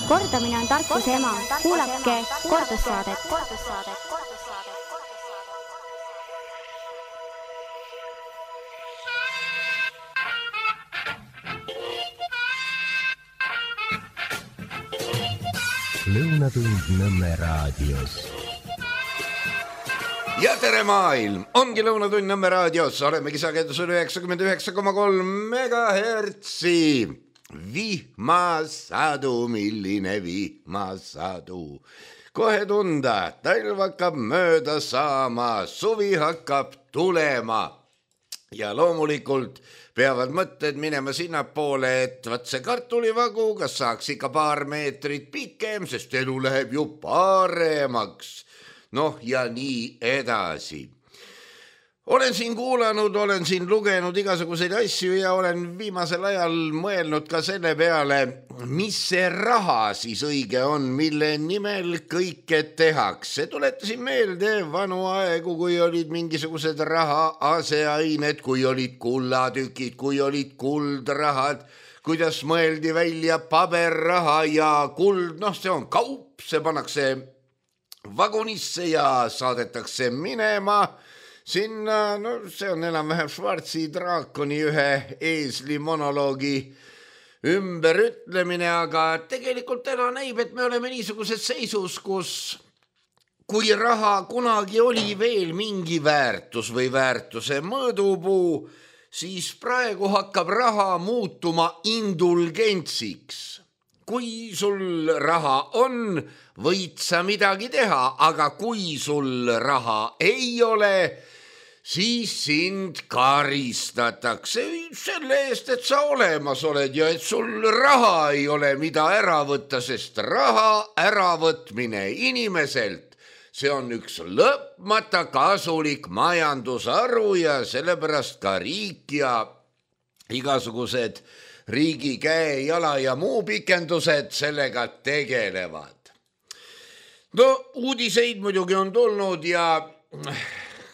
Kordamine on tarkuse ema. Kuulake kordussaadet. Lõunatund Nõmme raadios. Ja tere maailm! Ongi Lõunatund Nõmme raadios. Olemegi sagedusel 99,3 megahertsi. Vihmasadu, milline vihmasadu. Kohe tunda, talv hakkab mööda saama, suvi hakkab tulema. Ja loomulikult peavad mõtted minema sinnapoole, et vaat see kartulivagu, kas saaks ikka paar meetrit pikem, sest elu läheb ju paremaks. Noh, ja nii edasi. Olen siin kuulanud, olen siin lugenud igasuguseid asju ja olen viimasel ajal mõelnud ka selle peale, mis see raha siis õige on, mille nimel kõike tehakse. Tuletasin meelde vanu aegu, kui olid mingisugused raha aseained, kui olid kullatükid, kui olid kuldrahad, kuidas mõeldi välja paberraha ja kuld, noh see on kaup, see pannakse vagunisse ja saadetakse minema. Sinna, no see on enam-vähem Schwarzi draakoni ühe eesli monoloogi ümberütlemine, aga tegelikult täna näib, et me oleme niisuguses seisus, kus kui raha kunagi oli veel mingi väärtus või väärtuse mõõdupuu, siis praegu hakkab raha muutuma indulgentsiks. Kui sul raha on, võid sa midagi teha, aga kui sul raha ei ole, siis sind karistatakse selle eest, et sa olemas oled ja et sul raha ei ole, mida ära võtta, sest raha äravõtmine inimeselt, see on üks lõpmata kasulik majandusharu ja sellepärast ka riik ja igasugused riigi käe, jala ja muu pikendused sellega tegelevad. No uudiseid muidugi on tulnud ja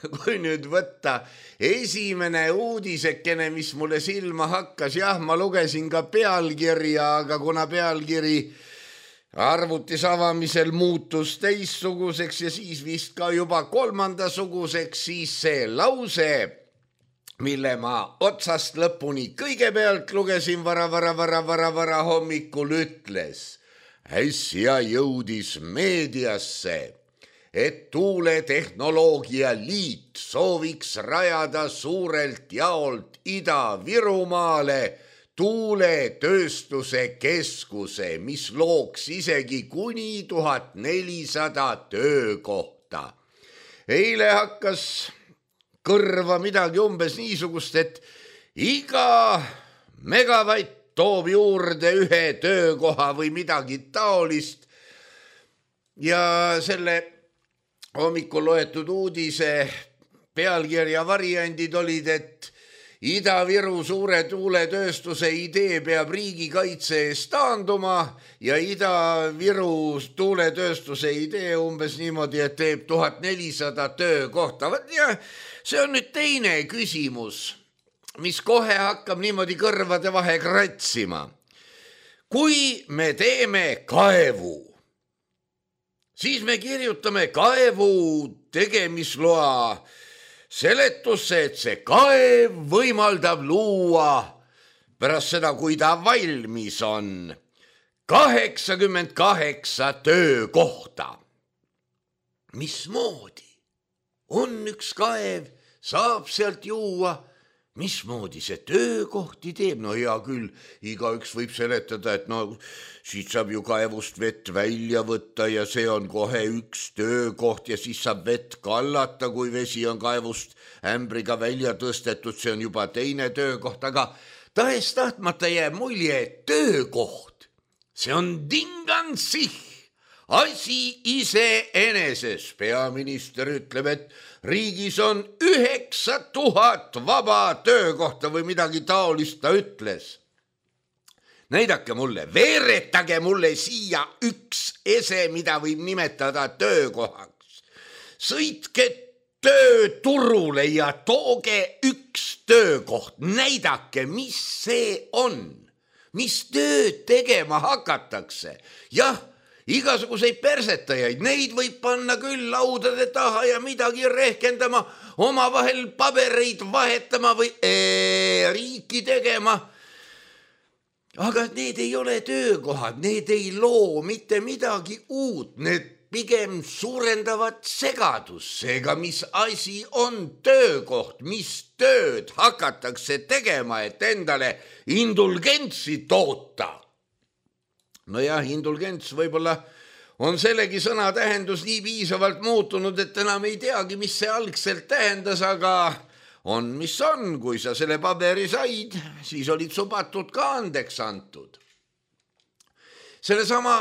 kui nüüd võtta esimene uudisekene, mis mulle silma hakkas, jah, ma lugesin ka pealkirja, aga kuna pealkiri arvutis avamisel muutus teistsuguseks ja siis vist ka juba kolmandasuguseks, siis see lause, mille ma otsast lõpuni kõigepealt lugesin vara hommikul ütles, äsja jõudis meediasse, et tuuletehnoloogia liit sooviks rajada suurelt jaolt Ida-Virumaale tuuletööstuse keskuse, mis looks isegi kuni 1400 töökohta. Eile hakkas kõrva midagi umbes niisugust, et iga megavatt toob juurde ühe töökoha või midagi taolist ja selle hommikul loetud uudise pealkirja variandid olid, et Ida-Viru suure tuuletööstuse idee peab riigikaitse eest taanduma ja Ida-Viru tuuletööstuse idee umbes niimoodi, et teeb 1400 töökohta. Ja see on nüüd teine küsimus, mis kohe hakkab niimoodi kõrvade vahe kratsima. Kui me teeme kaevu, siis me kirjutame kaevu tegemisloa seletusse, et see kaev võimaldab luua pärast seda, kui ta valmis on, 88 töökohta. Mismoodi? On üks kaev, saab sealt juua, mismoodi see töökohti teeb? No hea küll, igaüks võib seletada, et no siit saab ju kaevust vett välja võtta ja see on kohe üks töökoht ja siis saab vett kallata, kui vesi on kaevust ämbriga välja tõstetud, see on juba teine töökoht, aga tahes tahtmata jääb mulje, et töökoht, see on dingansih, asi iseeneses. Peaminister ütleb, et riigis on 9000 vaba töökohta või midagi taolist ta ütles. Näidake mulle, veeretage mulle siia üks ese, mida võib nimetada töökohaks. Sõitke tööturule ja tooge üks töökoht. Näidake, mis see on. mis tööd tegema hakatakse. Jah, igasuguseid persetajaid, neid võib panna küll laudade taha ja midagi rehkendama, omavahel pabereid vahetama või riiki tegema. Aga need ei ole töökohad, need ei loo mitte midagi uut, need pigem suurendavad segadust. Seega, mis asi on töökoht, mis tööd hakatakse tegema, et endale indulgentsi toota? Nojah, indulgents võib-olla on sellegi sõna tähendus nii piisavalt muutunud, et enam ei teagi, mis see algselt tähendas, aga on, mis on. Kui sa selle paberi said, siis olid su patud ka andeks antud. Sellesama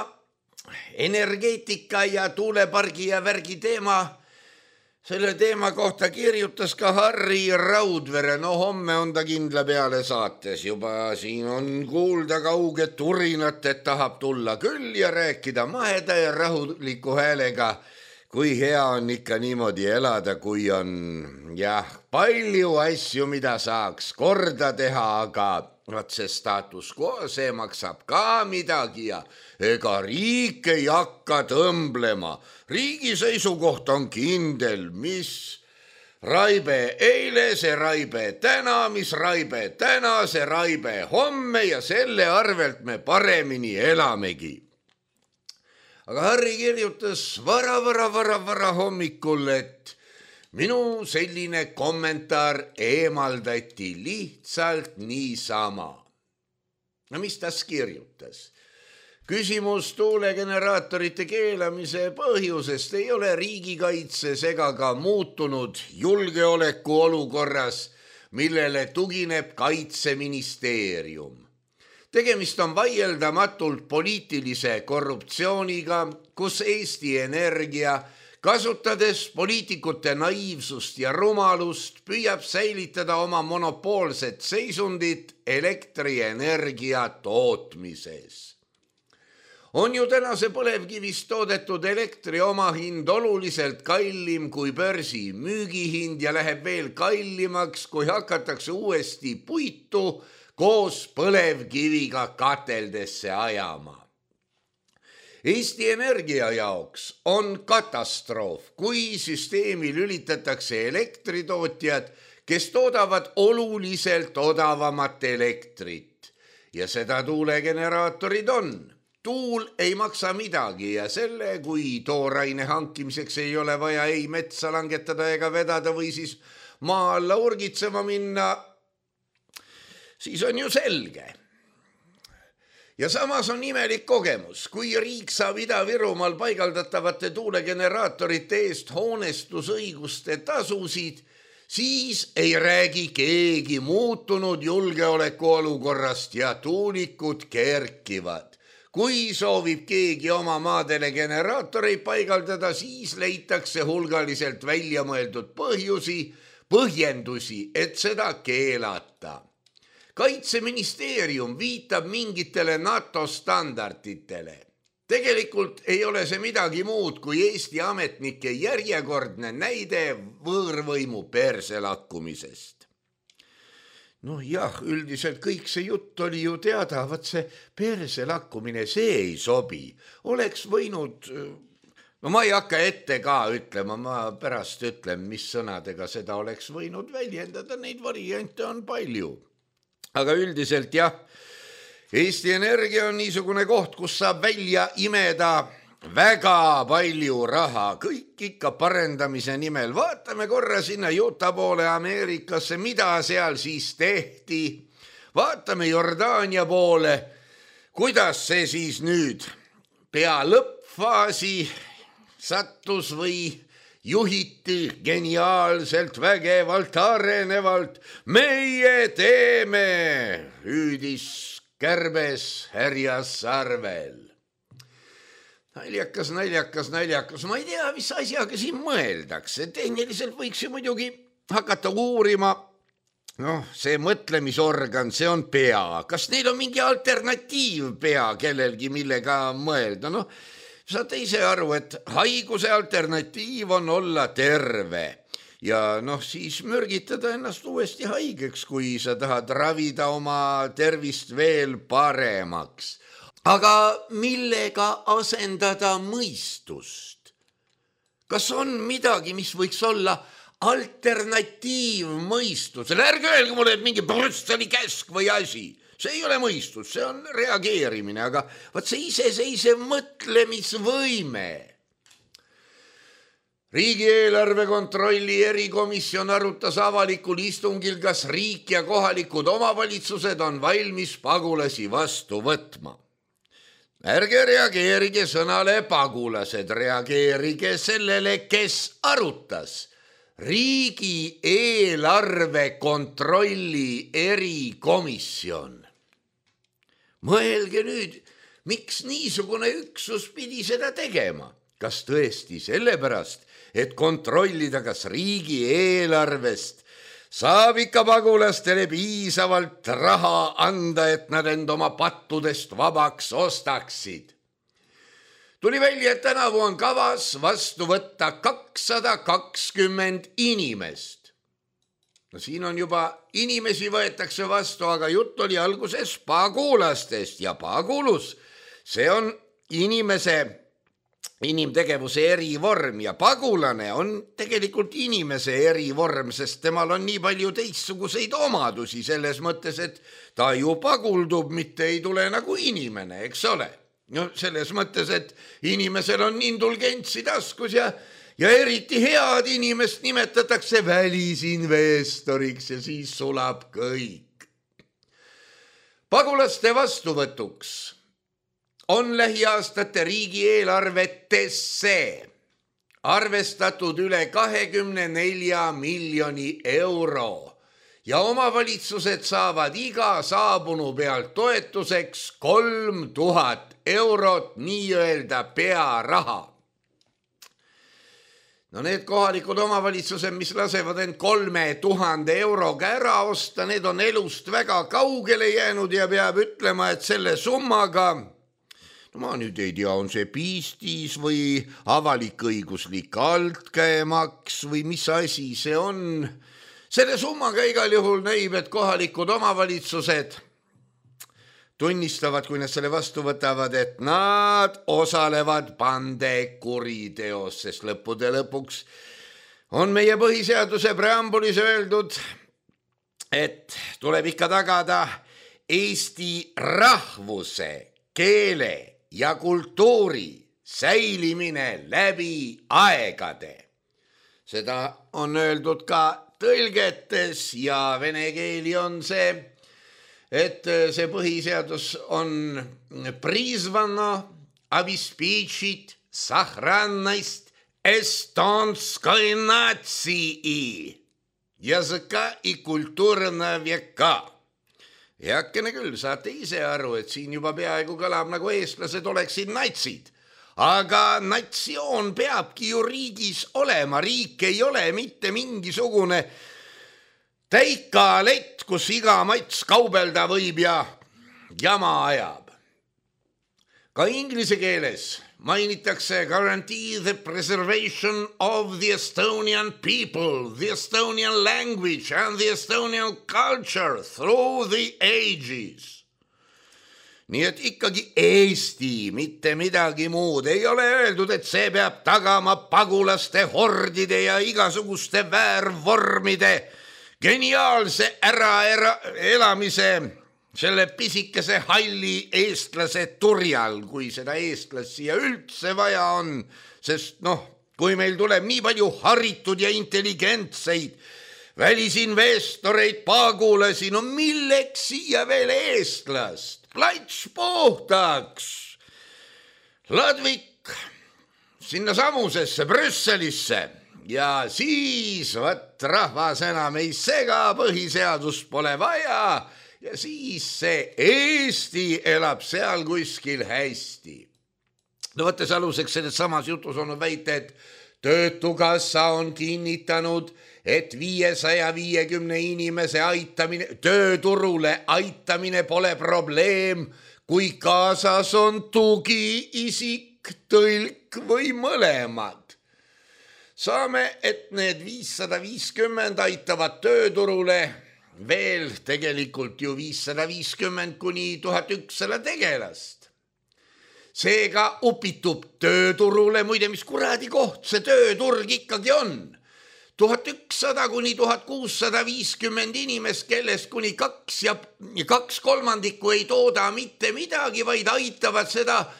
energeetika ja tuulepargi ja värgi teema, selle teema kohta kirjutas ka Harri Raudvere. No homme on ta kindla peale saates, juba siin on kuulda kauget turinat, et tahab tulla küll ja rääkida maheda ja rahuliku häälega, kui hea on ikka niimoodi elada, kui on palju asju, mida saaks korda teha, aga vaat see status quo, see maksab ka midagi ja ega riik ei hakka tõmblema. Riigi seisukoht on kindel, mis raibe eile, see raibe täna, mis raibe täna, see raibe homme ja selle arvelt me paremini elamegi. Aga Harri kirjutas vara hommikul, et minu selline kommentaar eemaldati lihtsalt niisama. No mis ta kirjutas? Küsimus tuulegeneraatorite keelamise põhjusest ei ole riigikaitses ega ka muutunud julgeoleku olukorras, millele tugineb Kaitseministeerium. Tegemist on vaieldamatult poliitilise korruptsiooniga, kus Eesti Energia, kasutades poliitikute naiivsust ja rumalust, püüab säilitada oma monopoolset seisundit elektrienergia tootmises. On ju tänase põlevkivist toodetud elektri omahind oluliselt kallim kui börsi müügihind ja läheb veel kallimaks, kui hakatakse uuesti puitu koos põlevkiviga kateldesse ajama. Eesti Energia jaoks on katastroof, kui süsteemi lülitatakse elektritootjad, kes toodavad oluliselt odavamat elektrit. Ja seda tuulegeneraatorid on. Tuul ei maksa midagi ja selle, kui tooraine hankimiseks ei ole vaja ei metsa langetada ega vedada või siis maa alla urgitsema minna, siis on ju selge. Ja samas on imelik kogemus, kui riik saab Ida-Virumaal paigaldatavate tuulegeneraatorite eest hoonestusõiguste tasusid, siis ei räägi keegi muutunud julgeoleku olukorrast ja tuulikud kerkivad. Kui soovib keegi oma maadele generaatoreid paigaldada, siis leitakse hulgaliselt välja mõeldud põhjendusi, et seda keelata. Kaitseministeerium viitab mingitele NATO standarditele. Tegelikult ei ole see midagi muud kui Eesti ametnike järjekordne näide võõrvõimu perse lakkumisest. No jah, üldiselt kõik see jutt oli ju teada, vaat see perse lakkumine, see ei sobi. Oleks võinud, no ma ei hakka ette ka ütlema, ma pärast ütlen, mis sõnadega seda oleks võinud väljendada, neid variante on palju. Aga üldiselt jah, Eesti Energia on niisugune koht, kus saab välja imeda väga palju raha, kõik ikka parendamise nimel. Vaatame korra sinna Utah poole Ameerikasse, mida seal siis tehti. Vaatame Jordaania poole, kuidas see siis nüüd pea lõppfaasi sattus või juhiti geniaalselt, vägevalt, arenevalt. Meie teeme, hüüdis kärbes härjas sarvel. Naljakas. Ma ei tea, mis asjaga siin mõeldakse. Tehniliselt võiks ju muidugi hakata uurima. See mõtlemisorgan, see on pea. Kas neil on mingi alternatiiv pea kellelgi, millega mõelda? Saate ise aru, et haiguse alternatiiv on olla terve. ja noh, siis mürgitada ennast uuesti haigeks, kui sa tahad ravida oma tervist veel paremaks. Aga millega asendada mõistust? Kas on midagi, mis võiks olla alternatiiv mõistusele? Ärge öelge mulle, et mingi Brüsseli käsk või asi. See ei ole mõistus, see on reageerimine, aga vaat see iseseisev mõtlemisvõime. Riigieelarve kontrolli erikomisjon arutas avalikul istungil, kas riik ja kohalikud omavalitsused on valmis pagulasi vastu võtma. Ärge reageerige sõnale pagulased, reageerige sellele, kes arutas. Riigieelarve kontrolli erikomisjon. Mõelge nüüd, miks niisugune üksus pidi seda tegema? Kas tõesti sellepärast, et kontrollida, kas riigieelarvest saab ikka pagulastele piisavalt raha anda, et nad end oma pattudest vabaks ostaksid? Tuli välja, et tänavu on kavas vastu võtta 220 inimest. No siin on juba inimesi võetakse vastu, aga jutt oli alguses pagulastest ja pagulus, see on inimtegevuse erivorm ja pagulane on tegelikult inimese erivorm, sest temal on nii palju teistsuguseid omadusi selles mõttes, et ta ju paguldub, mitte ei tule nagu inimene, eks ole. No selles mõttes, et inimesel on indulgentsi taskus ja eriti head inimest nimetatakse välisinvestoriks ja siis sulab kõik. Pagulaste vastuvõtuks on lähiaastate riigieelarvetesse arvestatud üle 24 miljoni euro ja omavalitsused saavad iga saabunu pealt toetuseks 3000 eurot nii-öelda pearaha. No need kohalikud omavalitsused, mis lasevad end 3000 euroga ära osta, need on elust väga kaugele jäänud ja peab ütlema, et selle summaga, no ma nüüd ei tea, on see piistis või avalik-õiguslik altkäemaks või mis asi see on. Selle summaga igal juhul näib, et kohalikud omavalitsused tunnistavad, kui nad selle vastu võtavad, et nad osalevad bandekuriteos, sest lõppude lõpuks on meie põhiseaduse preambulis öeldud, et tuleb ikka tagada eesti rahvuse, keele ja kultuuri säilimine läbi aegade. Seda on öeldud ka tõlgetes ja vene keeli on see, et see põhiseadus on призвано обеспечить сохранность эстонской нации, языка и культуры на века. Heakene küll, saate ise aru, et siin juba peaaegu kõlab nagu eestlased oleksid natsid. Aga natsioon peabki ju riigis olema. Riik ei ole mitte mingisugune täikalett, kus iga mats kaubelda võib ja jama ajab. Ka inglise keeles mainitakse guarantee the preservation of the Estonian people, the Estonian language and the Estonian culture through the ages. Nii et ikkagi Eesti, mitte midagi muud. Ei ole öeldud, et see peab tagama pagulaste hordide ja igasuguste väärvormide geniaalse äraelamise selle pisikese halli eestlase turjal, kui seda eestlast siia üldse vaja on, sest kui meil tuleb nii palju haritud ja intelligentseid välisinvestoreid, pagulasi, milleks siia veel eestlast? Plats puhtaks, Ladvik sinna samusesse Brüsselisse ja siis rahvas enam ei sega, põhiseadust pole vaja ja siis see Eesti elab seal kuskil hästi. No võttes aluseks selles samas jutus on väite, et Töötukassa on kinnitanud, et 550 inimese aitamine, tööturule aitamine pole probleem, kui kaasas on tugiisik, tõlk või mõlemad. saame, et need 550 aitavad tööturule veel tegelikult ju 550 kuni 1100 tegelast. Seega upitub tööturule, muide, mis kuradi koht see tööturg ikkagi on. 1100 kuni 1650 inimest, kellest kuni 2/3 ei tooda mitte midagi, vaid aitavad seda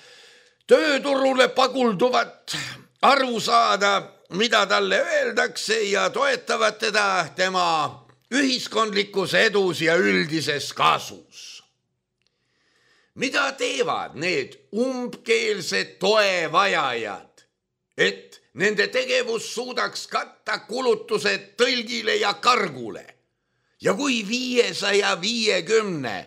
tööturule pagulduvat arvu saada, mida talle öeldakse ja toetavad teda tema ühiskondlikus edus ja üldises kasus. Mida teevad need umbkeelsed toevajajad, et nende tegevus suudaks katta kulutused tõlgile ja kargule? Ja kui 550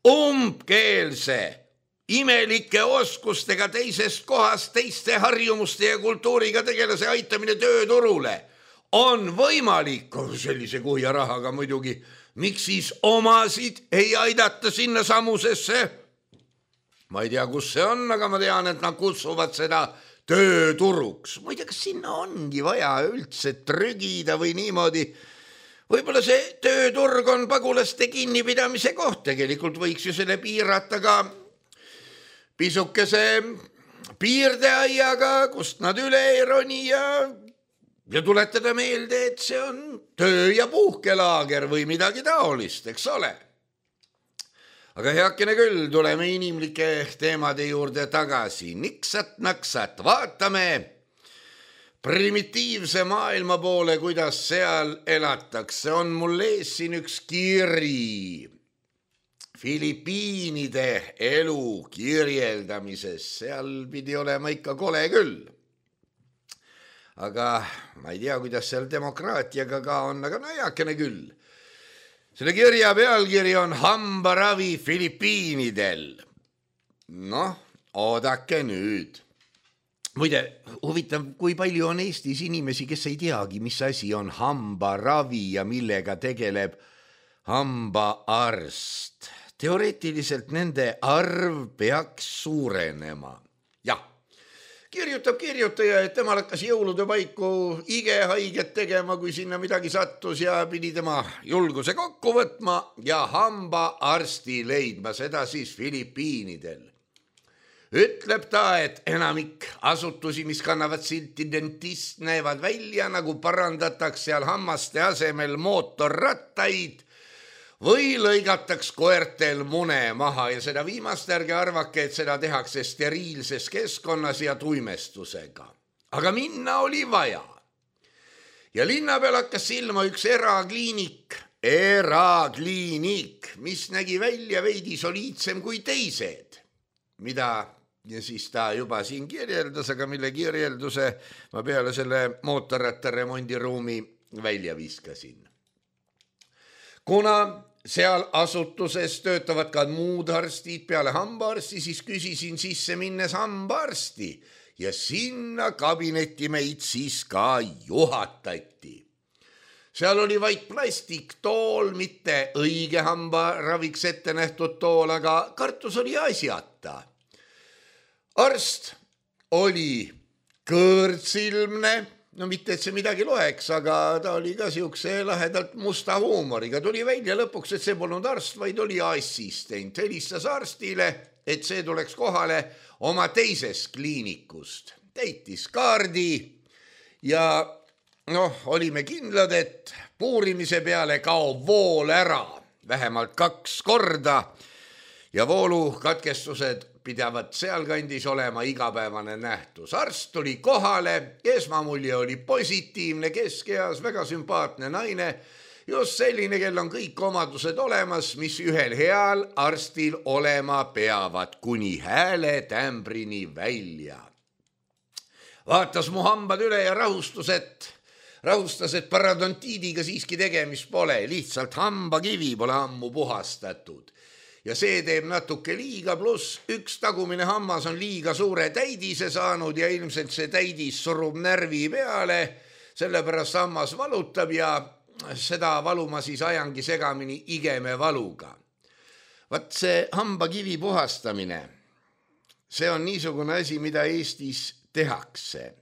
umbkeelse imelike oskustega teisest kohast teiste harjumuste ja kultuuriga tegelase aitamine tööturule on võimalik sellise kuhja rahaga muidugi, miks siis omasid ei aidata sinna samusesse? Ma ei tea, kus see on, aga ma tean, et nad kutsuvad seda tööturuks. Ma ei tea, kas sinna ongi vaja üldse trügida või niimoodi. Võib-olla see tööturg on pagulaste kinnipidamise koht. Tegelikult võiks ju selle piirata ka pisukese piirdeaiaga, kust nad üle ei roni ja tuletada meelde, et see on töö- ja puhkelaager või midagi taolist, eks ole. Aga heakene küll, tuleme inimlike teemade juurde tagasi. Niksat-naksat, vaatame primitiivse maailma poole, kuidas seal elatakse. On mul ees siin üks kiri Filipiinide elu kirjeldamises. Seal pidi olema ikka kole küll. Aga ma ei tea, kuidas seal demokraatiaga ka on, aga no heakene küll. Selle kirja pealkiri on Hambaravi Filipiinidel. Noh, oodake nüüd. Muide, huvitav, kui palju on Eestis inimesi, kes ei teagi, mis asi on hambaravi ja millega tegeleb hambaarst. Teoreetiliselt nende arv peaks suurenema. Jah, kirjutab kirjutaja, et temal hakkas jõulude paiku igehaiget tegema, kui sinna midagi sattus ja pidi tema julguse kokku võtma ja hambaarsti leidma, seda siis Filipiinidel. Ütleb ta, et enamik asutusi, mis kannavad silti dentist, näevad välja, nagu parandataks seal hammaste asemel mootorrattaid või lõigataks koertel mune maha ja seda viimast ärge arvake, et seda tehakse steriilses keskkonnas ja tuimestusega. Aga minna oli vaja. Ja linna peal hakkas silma üks erakliinik, mis nägi välja veidi soliidsem kui teised, mida ja siis ta juba siin kirjeldas, aga mille kirjelduse ma peale selle mootorratta remondiruumi välja viskasin. Kuna seal asutuses töötavad ka muud arstid peale hambaarsti, siis küsisin sisse minnes hambaarsti ja sinna kabinetti meid siis ka juhatati. Seal oli vaid plastiktool, mitte õige hambaraviks ette nähtud tool, aga kartus oli asjata. Arst oli kõõrtsilmne, no mitte, et see midagi loeks, aga ta oli ka siukse lahedalt musta huumoriga. Tuli välja lõpuks, et see polnud arst, vaid oli assistent. Helistas arstile, et see tuleks kohale oma teisest kliinikust. Täitis kaardi ja olime kindlad, et puurimise peale kaob vool ära vähemalt 2 korda ja voolukatkestused pidavad sealkandis olema igapäevane nähtus. Arst tuli kohale, esmamulje oli positiivne, keskeas, väga sümpaatne naine, just selline, kel on kõik omadused olemas, mis ühel heal arstil olema peavad, kuni hääle tämbrini välja. Vaatas mu hambad üle ja rahustas, et parodontiidiga siiski tegemist pole, lihtsalt hambakivi pole ammu puhastatud. Ja see teeb natuke liiga, pluss üks tagumine hammas on liiga suure täidise saanud ja ilmselt see täidis surub närvi peale, sellepärast hammas valutab ja seda valu ma siis ajangi segamini igeme valuga. Vaat see hambakivi puhastamine, see on niisugune asi, mida Eestis tehakse.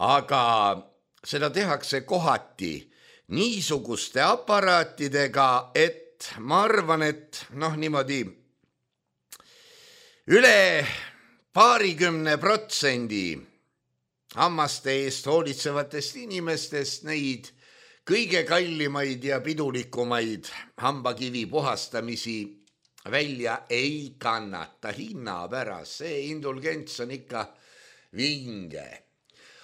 Aga seda tehakse kohati niisuguste aparaatidega, et ma arvan, et niimoodi üle 20% hammaste eest hoolitsevatest inimestest neid kõige kallimaid ja pidulikumaid hambakivi puhastamisi välja ei kannata hinna pärast. See indulgents on ikka vinge.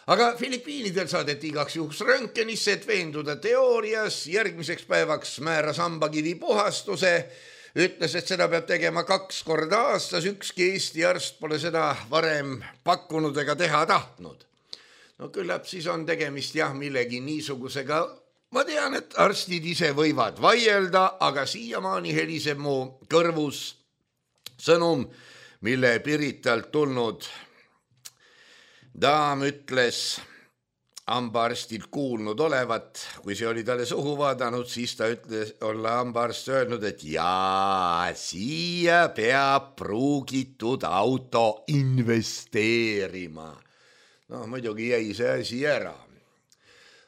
Aga Filipiinidel saadeti igaks juhuks röntgenisse, et veenduda teoorias. Järgmiseks päevaks määras hambakivi puhastuse. Ütles, et seda peab tegema 2 korda aastas. Ükski Eesti arst pole seda varem pakkunud ega teha tahtnud. No küllap siis on tegemist millegi niisugusega. Ma tean, et arstid ise võivad vaielda, aga siiamaani heliseb mu kõrvus sõnum, mille Piritalt tulnud daam ütles hambaarstilt kuulnud olevat. Kui see oli talle suhu vaadanud, siis ta ütles olla hambaarst öelnud, et siia peab pruugitud auto investeerima. Muidugi jäi see asi ära.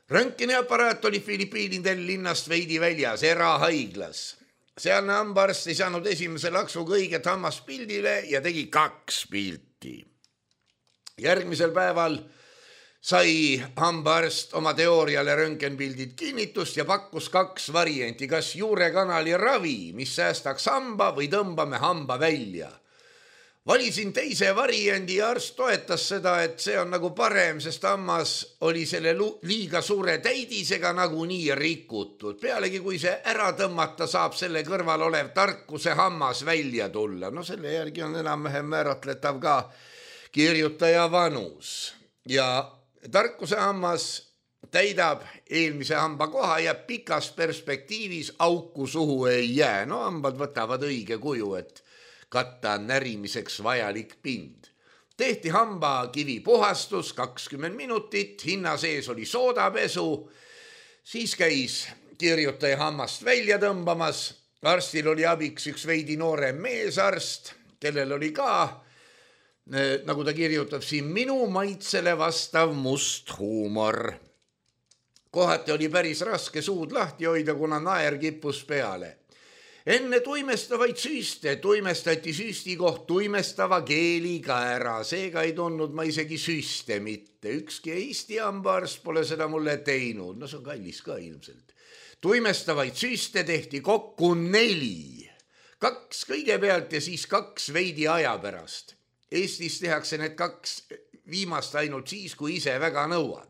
Röntgeniaparaat oli Filipiinidel linnast veidi väljas, erahaiglas. Sealne hambaarst ei saanud esimese laksuga õiget hammast pildile ja tegi 2 pilti. Järgmisel päeval sai hambaarst oma teooriale röntgenpildid kinnitust ja pakkus 2 varianti, kas juurekanali ravi, mis säästaks hamba või tõmbame hamba välja. Valisin teise variandi ja arst toetas seda, et see on nagu parem, sest hammas oli selle liiga suure täidisega nagunii rikutud. Pealegi, kui see ära tõmmata, saab selle kõrval olev tarkuse hammas välja tulla. Selle järgi on enam-vähem määratletav ka kirjutaja vanus. Ja tarkuse hammas täidab eelmise hamba koha ja pikas perspektiivis auku suhu ei jää. Hambad võtavad õige kuju, et katta närimiseks vajalik pind. Tehti hambakivi puhastus 20 minutit, hinna sees oli soodapesu, siis käis kirjutaja hammast välja tõmbamas. Arstil oli abiks üks veidi noorem meesarst, kellel oli ka, nagu ta kirjutab siin, minu maitsele vastav must huumor. Kohati oli päris raske suud lahti hoida, kuna naer kippus peale. Enne tuimestavaid süste tuimestati süsti koht tuimestava keeliga ära, seega ei tundnud ma isegi süste mitte. Ükski Eesti hambaarst pole seda mulle teinud, see on kallis ka ilmselt. Tuimestavaid süste tehti kokku 4. 2 kõigepealt ja siis 2 veidi aja pärast. Eestis tehakse need 2 viimast ainult siis, kui ise väga nõuad.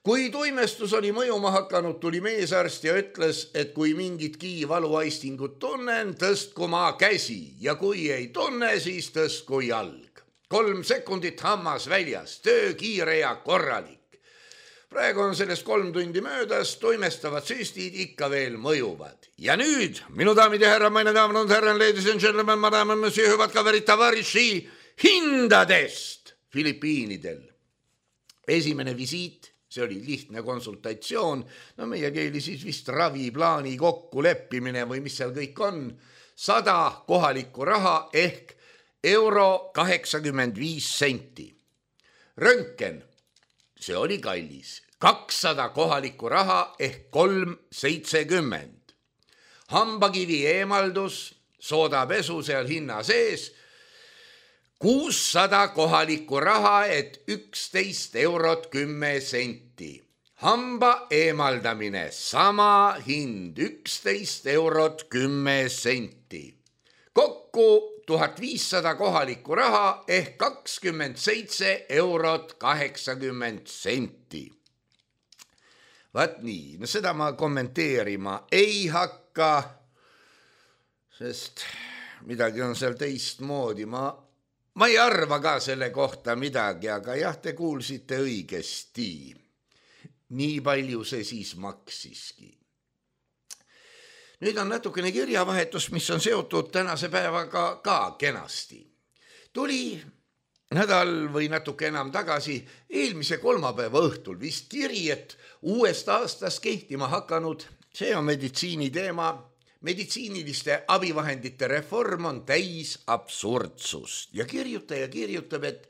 Kui tuimestus oli mõjuma hakanud, tuli meesarst ja ütles, et kui mingitki valuaistingut tunnen, tõstku ma käsi ja kui ei tunne, siis tõstku jalg. 3 sekundit hammas väljas, töö kiire ja korralik. Praegu on sellest 3 tundi möödas, tuimestavad süstid ikka veel mõjuvad. Ja nüüd, minu daamid ja härra, meine daamid und herren, ladies and gentlemen, madame, monsieur, hüvad kaverid, tavariši hindadest Filipiinidel. Esimene visiit. See oli lihtne konsultatsioon, meie keeli siis vist raviplaani kokkuleppimine või mis seal kõik on, 100 kohalikku raha ehk €85. Röntgen, see oli kallis, 200 kohalikku raha ehk 3,70. Hambakivi eemaldus, soodapesu seal hinna sees, 600 kohalikku raha, et 11,10 €. Hamba eemaldamine, sama hind, 11,10 €. Kokku 1500 kohalikku raha ehk 27,80 €. Vaat nii, seda ma kommenteerima ei hakka, sest midagi on seal teistmoodi. Ma ei arva ka selle kohta midagi, aga jah, te kuulsite õigesti. Nii palju see siis maksiski. Nüüd on natukene kirjavahetus, mis on seotud tänase päevaga ka kenasti. Tuli nädal või natuke enam tagasi, eelmise kolmapäeva õhtul vist kiri, et uuest aastast kehtima hakanud, see on meditsiini teema, meditsiiniliste abivahendite reform on täis absurdsust ja kirjutaja kirjutab, et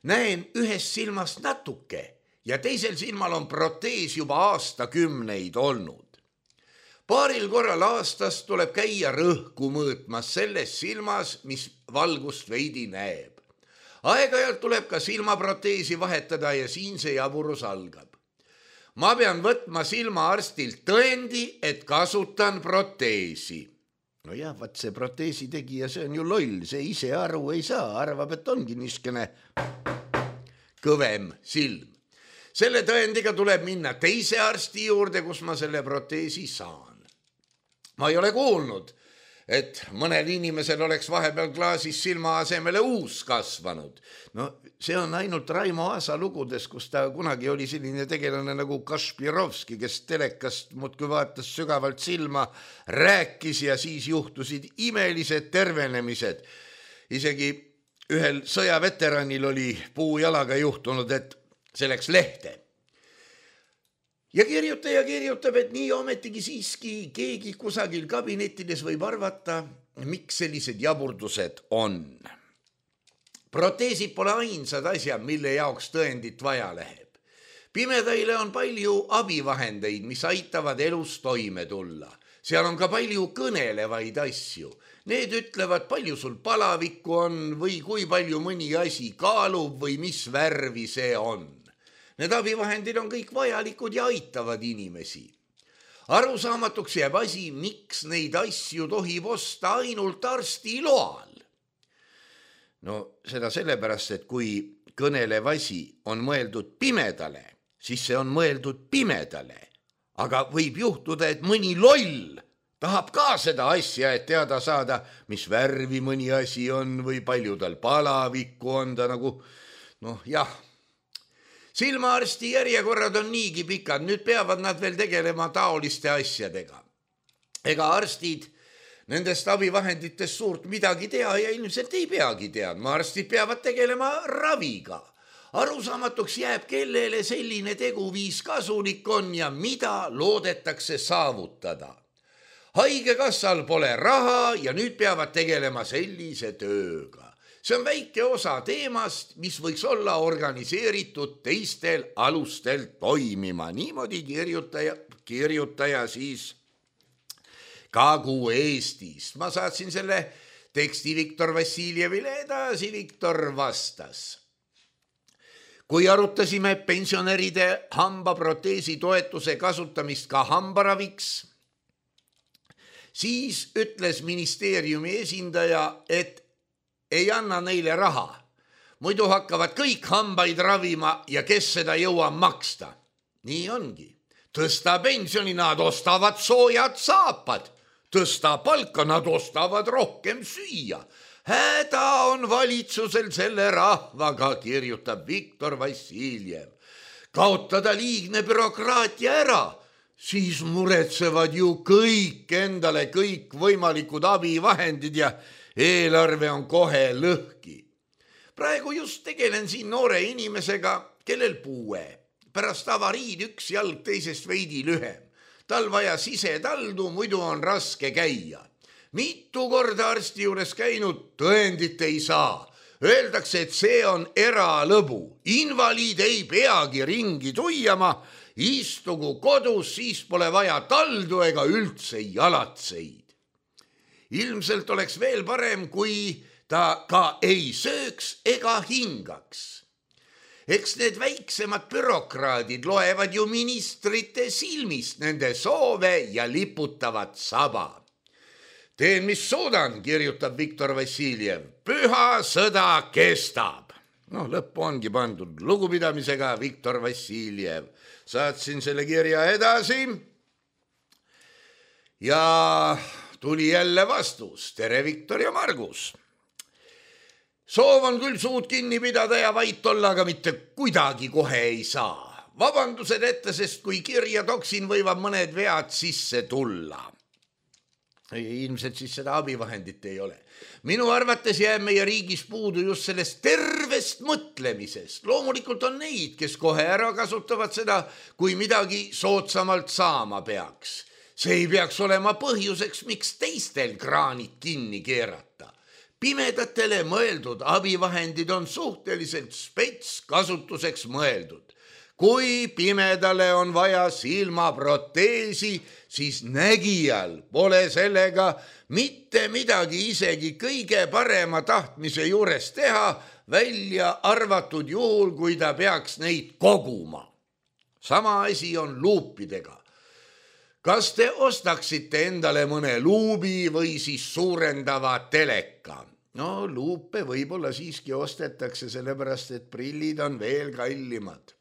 näen ühest silmast natuke ja teisel silmal on protees juba aastakümneid olnud. Paaril korral aastas tuleb käia rõhku mõõtmas selles silmas, mis valgust veidi näeb. Aeg-ajalt tuleb ka silmaproteesi vahetada ja siin see jaburus algab. Ma pean võtma silmaarstilt tõendi, et kasutan proteesi. No jah, vaat see proteesi tegija, see on ju loll, see ise aru ei saa, arvab, et ongi niiskene kõvem silm. Selle tõendiga tuleb minna teise arsti juurde, kus ma selle proteesi saan. Ma ei ole kuulnud, et mõnel inimesel oleks vahepeal klaasis silma asemele uus kasvanud. No see on ainult Raimo Aasa lugudes, kus ta kunagi oli selline tegelane nagu Kašpirovski, kes telekast muudkui vaatas sügavalt silma, rääkis ja siis juhtusid imelised tervenemised. Isegi ühel sõjaveteranil oli puujalaga juhtunud, et see läks lehte. Ja kirjutab, et nii ometigi siiski keegi kusagil kabinettides võib arvata, miks sellised jaburdused on. Proteesid pole ainsad asjad, mille jaoks tõendit vaja läheb. Pimedaile on palju abivahendeid, mis aitavad elus toime tulla. Seal on ka palju kõnelevaid asju. Need ütlevad, palju sul palavikku on või kui palju mõni asi kaalub või mis värvi see on. Need abivahendid on kõik vajalikud ja aitavad inimesi. Arusaamatuks jääb asi, miks neid asju tohib osta ainult arsti loal. No seda sellepärast, et kui kõnelev asi on mõeldud pimedale, siis see on mõeldud pimedale. Aga võib juhtuda, et mõni loll tahab ka seda asja, et teada saada, mis värvi mõni asi on või palju tal palavikku on ta nagu, jah. Silmaarsti järjekorrad on niigi pikad, nüüd peavad nad veel tegelema taoliste asjadega. Ega arstid nendest abivahenditest suurt midagi tea ja ilmselt ei peagi teadma. Arstid peavad tegelema raviga. Arusaamatuks jääb, kellele selline teguviis kasulik on ja mida loodetakse saavutada. Haigekassal pole raha ja nüüd peavad tegelema sellise tööga. See on väike osa teemast, mis võiks olla organiseeritud teistel alustel toimima. Niimoodi kirjutaja siis Kagu-Eestist. Ma saatsin selle teksti Viktor Vassiljevile edasi, Viktor vastas. Kui arutasime pensionäride hambaproteesi toetuse kasutamist ka hambaraviks, siis ütles ministeeriumi esindaja, et ei anna neile raha. Muidu hakkavad kõik hambaid ravima ja kes seda jõua maksta. Nii ongi. Tõsta pensioni, nad ostavad soojad saapad. Tõsta palka, nad ostavad rohkem süüa. Häda on valitsusel selle rahvaga, kirjutab Viktor Vassiljev. Kaotada liigne bürokraatia ära, siis muretsevad ju kõik endale kõik võimalikud abivahendid ja eelarve on kohe lõhki. Praegu just tegelen siin noore inimesega, kellel puue. Pärast avariid üks jalg teisest veidi lühem. Tal vaja sisetaldu, muidu on raske käia. Mitu korda arsti juures käinud, tõendit ei saa. Öeldakse, et see on eralõbu. Invaliid ei peagi ringi tuiama. Istugu kodus, siis pole vaja taldu ega üldse jalatseid. Ilmselt oleks veel parem, kui ta ka ei sööks ega hingaks. Eks need väiksemad bürokraadid loevad ju ministrite silmist nende soove ja liputavad saba. Teen, mis suudan, kirjutab Viktor Vassiljev. Püha sõda kestab. Lõppu ongi pandud lugupidamisega Viktor Vassiljev. Saatsin selle kirja edasi ja tuli jälle vastus. Tere, Viktor ja Margus. Soov on küll suud kinni pidada ja vait olla, aga mitte kuidagi kohe ei saa. Vabandused ette, sest kui kirja toksin, võivad mõned vead sisse tulla. Ilmselt siis seda abivahendit ei ole. Minu arvates jääb meie riigis puudu just sellest tervest mõtlemisest. Loomulikult on neid, kes kohe ära kasutavad seda, kui midagi soodsamalt saama peaks. See ei peaks olema põhjuseks, miks teistel kraanid kinni keerata. Pimedatele mõeldud abivahendid on suhteliselt spets kasutuseks mõeldud. kui pimedale on vaja silmaproteesi, siis nägijal pole sellega mitte midagi isegi kõige parema tahtmise juures teha, välja arvatud juhul, kui ta peaks neid koguma. Sama asi on luupidega. Kas te ostaksite endale mõne luubi või siis suurendava teleka? No luupe võib-olla siiski ostetakse, sellepärast et prillid on veel kallimad.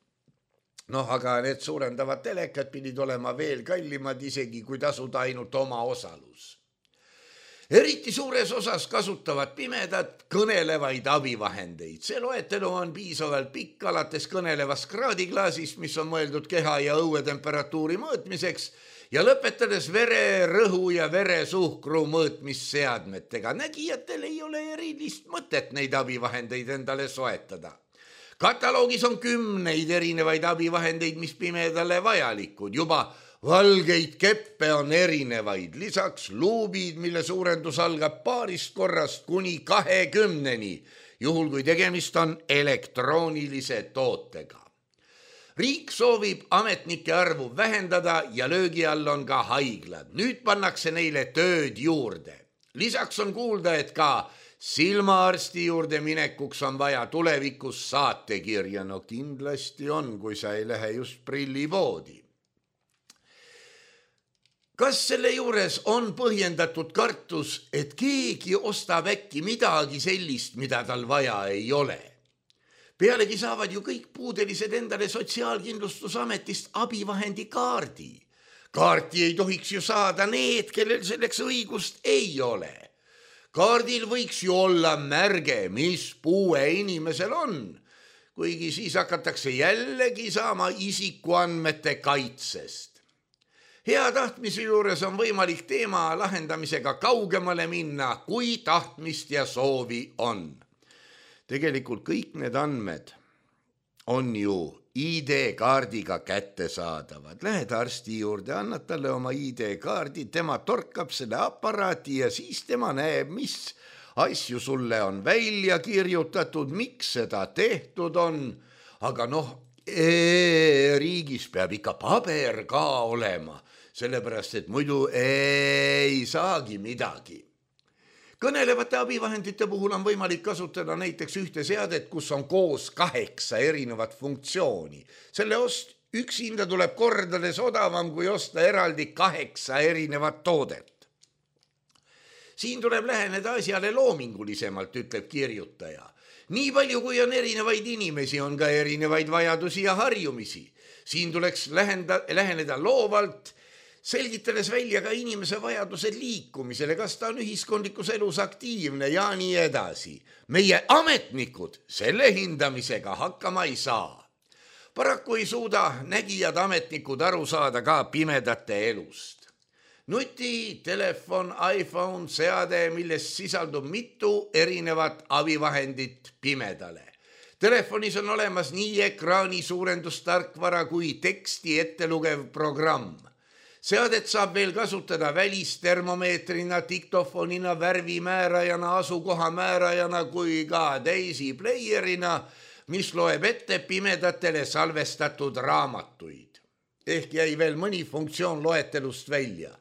Aga need suurendavad telekad pidid olema veel kallimad, isegi kui tasuda ainult oma osalus. Eriti suures osas kasutavad pimedad kõnelevaid abivahendeid. See loetelu on piisavalt pikk, alates kõnelevast kraadiklaasist, mis on mõeldud keha ja õuetemperatuuri mõõtmiseks, ja lõpetades vere, rõhu ja veresuhkru mõõtmisseadmetega. Nägijatel ei ole erilist mõtet neid abivahendeid endale soetada. Kataloogis on 10 erinevaid abivahendeid, mis pimedale vajalikud. Juba valgeid keppe on erinevaid, lisaks luubid, mille suurendus algab paarist korrast kuni 20-ni, juhul kui tegemist on elektroonilise tootega. Riik soovib ametnike arvu vähendada ja löögi all on ka haiglad. Nüüd pannakse neile tööd juurde. Lisaks on kuulda, et ka silmaarsti juurde minekuks on vaja tulevikus saatekirja. No kindlasti on, kui sa ei lähe just prillipoodi. Kas selle juures on põhjendatud kartus, et keegi ostab äkki midagi sellist, mida tal vaja ei ole? Pealegi saavad ju kõik puudelised endale Sotsiaalkindlustusametist abivahendi kaardi. Kaarti ei tohiks ju saada need, kellel selleks õigust ei ole. Kaardil võiks ju olla märge, mis puue inimesel on, kuigi siis hakatakse jällegi saama isikuandmete kaitsest. Hea tahtmise juures on võimalik teema lahendamisega kaugemale minna, kui tahtmist ja soovi on. Tegelikult kõik need andmed on ju ID-kaardiga kättesaadavad. Lähed arsti juurde, annad talle oma ID-kaardi, tema torkab selle aparaati ja siis tema näeb, mis asju sulle on välja kirjutatud, miks seda tehtud on. Aga riigis peab ikka paber ka olema, sellepärast et muidu ei saagi midagi. Kõnelevate abivahendite puhul on võimalik kasutada näiteks ühte seadet, kus on koos 8 erinevat funktsiooni. Selle üksinda tuleb kordades odavam, kui osta eraldi 8 erinevat toodet. Siin tuleb läheneda asjale loomingulisemalt, ütleb kirjutaja. Nii palju, kui on erinevaid inimesi, on ka erinevaid vajadusi ja harjumisi. Siin tuleks läheneda loovalt, selgitades välja ka inimese vajadused liikumisele, kas ta on ühiskondlikus elus aktiivne ja nii edasi. Meie ametnikud selle hindamisega hakkama ei saa. Paraku ei suuda nägijad ametnikud aru saada ka pimedate elust. Nuti, telefon, iPhone, seade, millest sisaldub mitu erinevat abivahendit pimedale. Telefonis on olemas nii ekraani suurendustarkvara kui teksti ettelugev programm. Seadet saab veel kasutada välistermomeetrina, diktofonina, värvimäärajana, asukohamäärajana kui ka Daisy playerina, mis loeb ette pimedatele salvestatud raamatuid. Ehk jäi veel mõni funktsioon loetelust välja.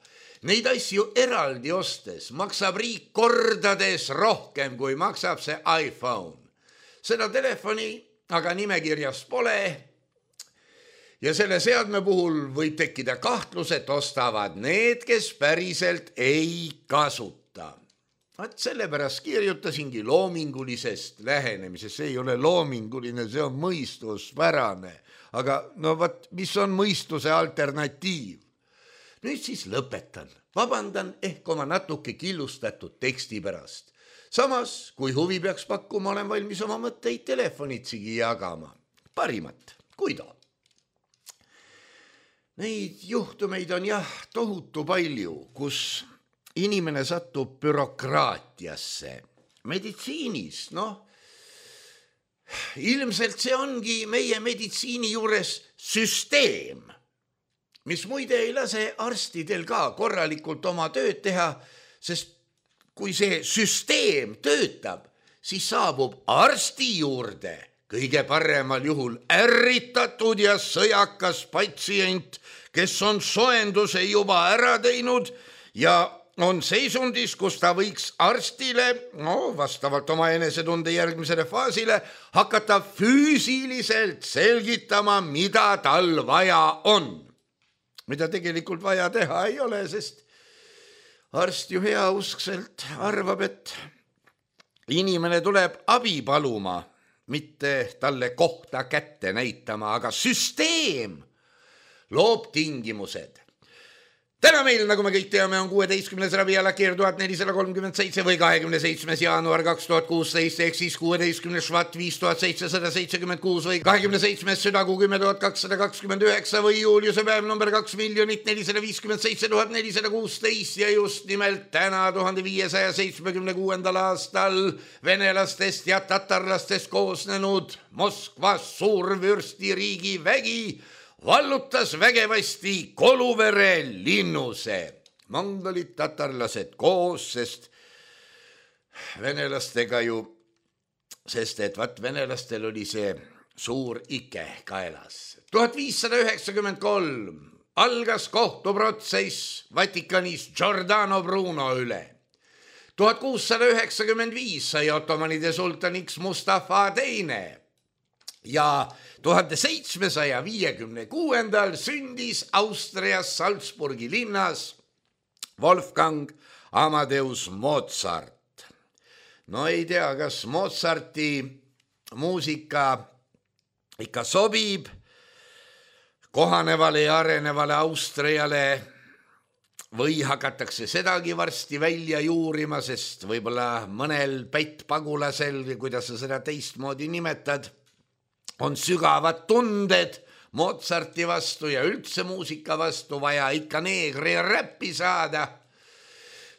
Neid asju eraldi ostes maksab riik kordades rohkem, kui maksab see iPhone. Seda telefoni aga nimekirjas pole. Ja selle seadme puhul võib tekkida kahtlus, et ostavad need, kes päriselt ei kasuta. Sellepärast kirjutasingi loomingulisest lähenemisest. See ei ole loominguline, see on mõistuspärane. Aga mis on mõistuse alternatiiv? Nüüd siis lõpetan. Vabandan ehk oma natuke killustatud teksti pärast. Samas, kui huvi peaks pakkuma, olen valmis oma mõtteid telefonitsigi jagama. Parimat, Guido. Neid juhtumeid on tohutu palju, kus inimene satub bürokraatiasse. Meditsiinis, ilmselt see ongi meie meditsiini juures süsteem, mis muide ei lase arstidel ka korralikult oma tööd teha, sest kui see süsteem töötab, siis saabub arsti juurde kõige paremal juhul ärritatud ja sõjakas patsient, kes on soenduse juba ära teinud ja on seisundis, kus ta võiks arstile, vastavalt oma enesetunde järgmisele faasile, hakata füüsiliselt selgitama, mida tal vaja on. Mida tegelikult vaja teha ei ole, sest arst ju heauskselt arvab, et inimene tuleb abi paluma, mitte talle kohta kätte näitama, aga süsteem loob tingimused. Täna meil, nagu me kõik teame, on 16. ravialakeer 1437 või 27. jaanuar 2016 ehk siis 16. švat 5776 või 27. südakuu 10229 või juuliuse päev number 2 457 416 ja just nimelt täna 1576. aastal venelastest ja tatarlastest koosnenud Moskvas suurvürstiriigi vägi vallutas vägevasti Koluvere linnuse. Mongolid, tatarlased koos, sest venelastega ju, sest et venelastel oli see suur ike kaelas. 1593 algas kohtuprotsess Vatikanis Giordano Bruno üle. 1695 sai ottomanide sultaniks Mustafa II ja 1756 sündis Austrias Salzburgi linnas Wolfgang Amadeus Mozart. No ei tea, kas Mozarti muusika ikka sobib kohanevale ja arenevale Austriale või hakatakse sedagi varsti välja juurima, sest võib-olla mõnel pättpagulasel, kuidas sa seda teistmoodi nimetad, on sügavad tunded Mozarti vastu ja üldse muusika vastu vaja ikka neegri räppi saada.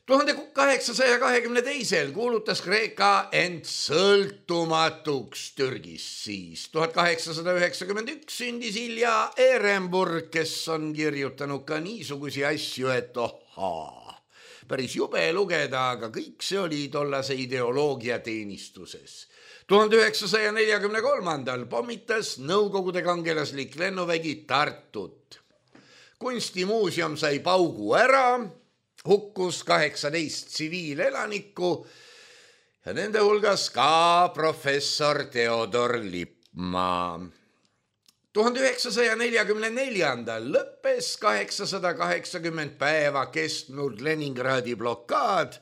1822 kuulutas Kreeka end sõltumatuks Türgist siis. 1891 sündis Ilja Ehrenburg, kes on kirjutanud ka niisugusi asju, et päris jube lugeda, aga kõik see oli tollase ideoloogia teenistuses. 1943 pommitas Nõukogude kangelaslik lennuvägi Tartut. Kunstimuuseum sai paugu ära, hukkus 18 tsiviilelanikku ja nende hulgas ka professor Theodor Lippmaa. 1944 lõppes 880 päeva kestnud Leningradi blokaad,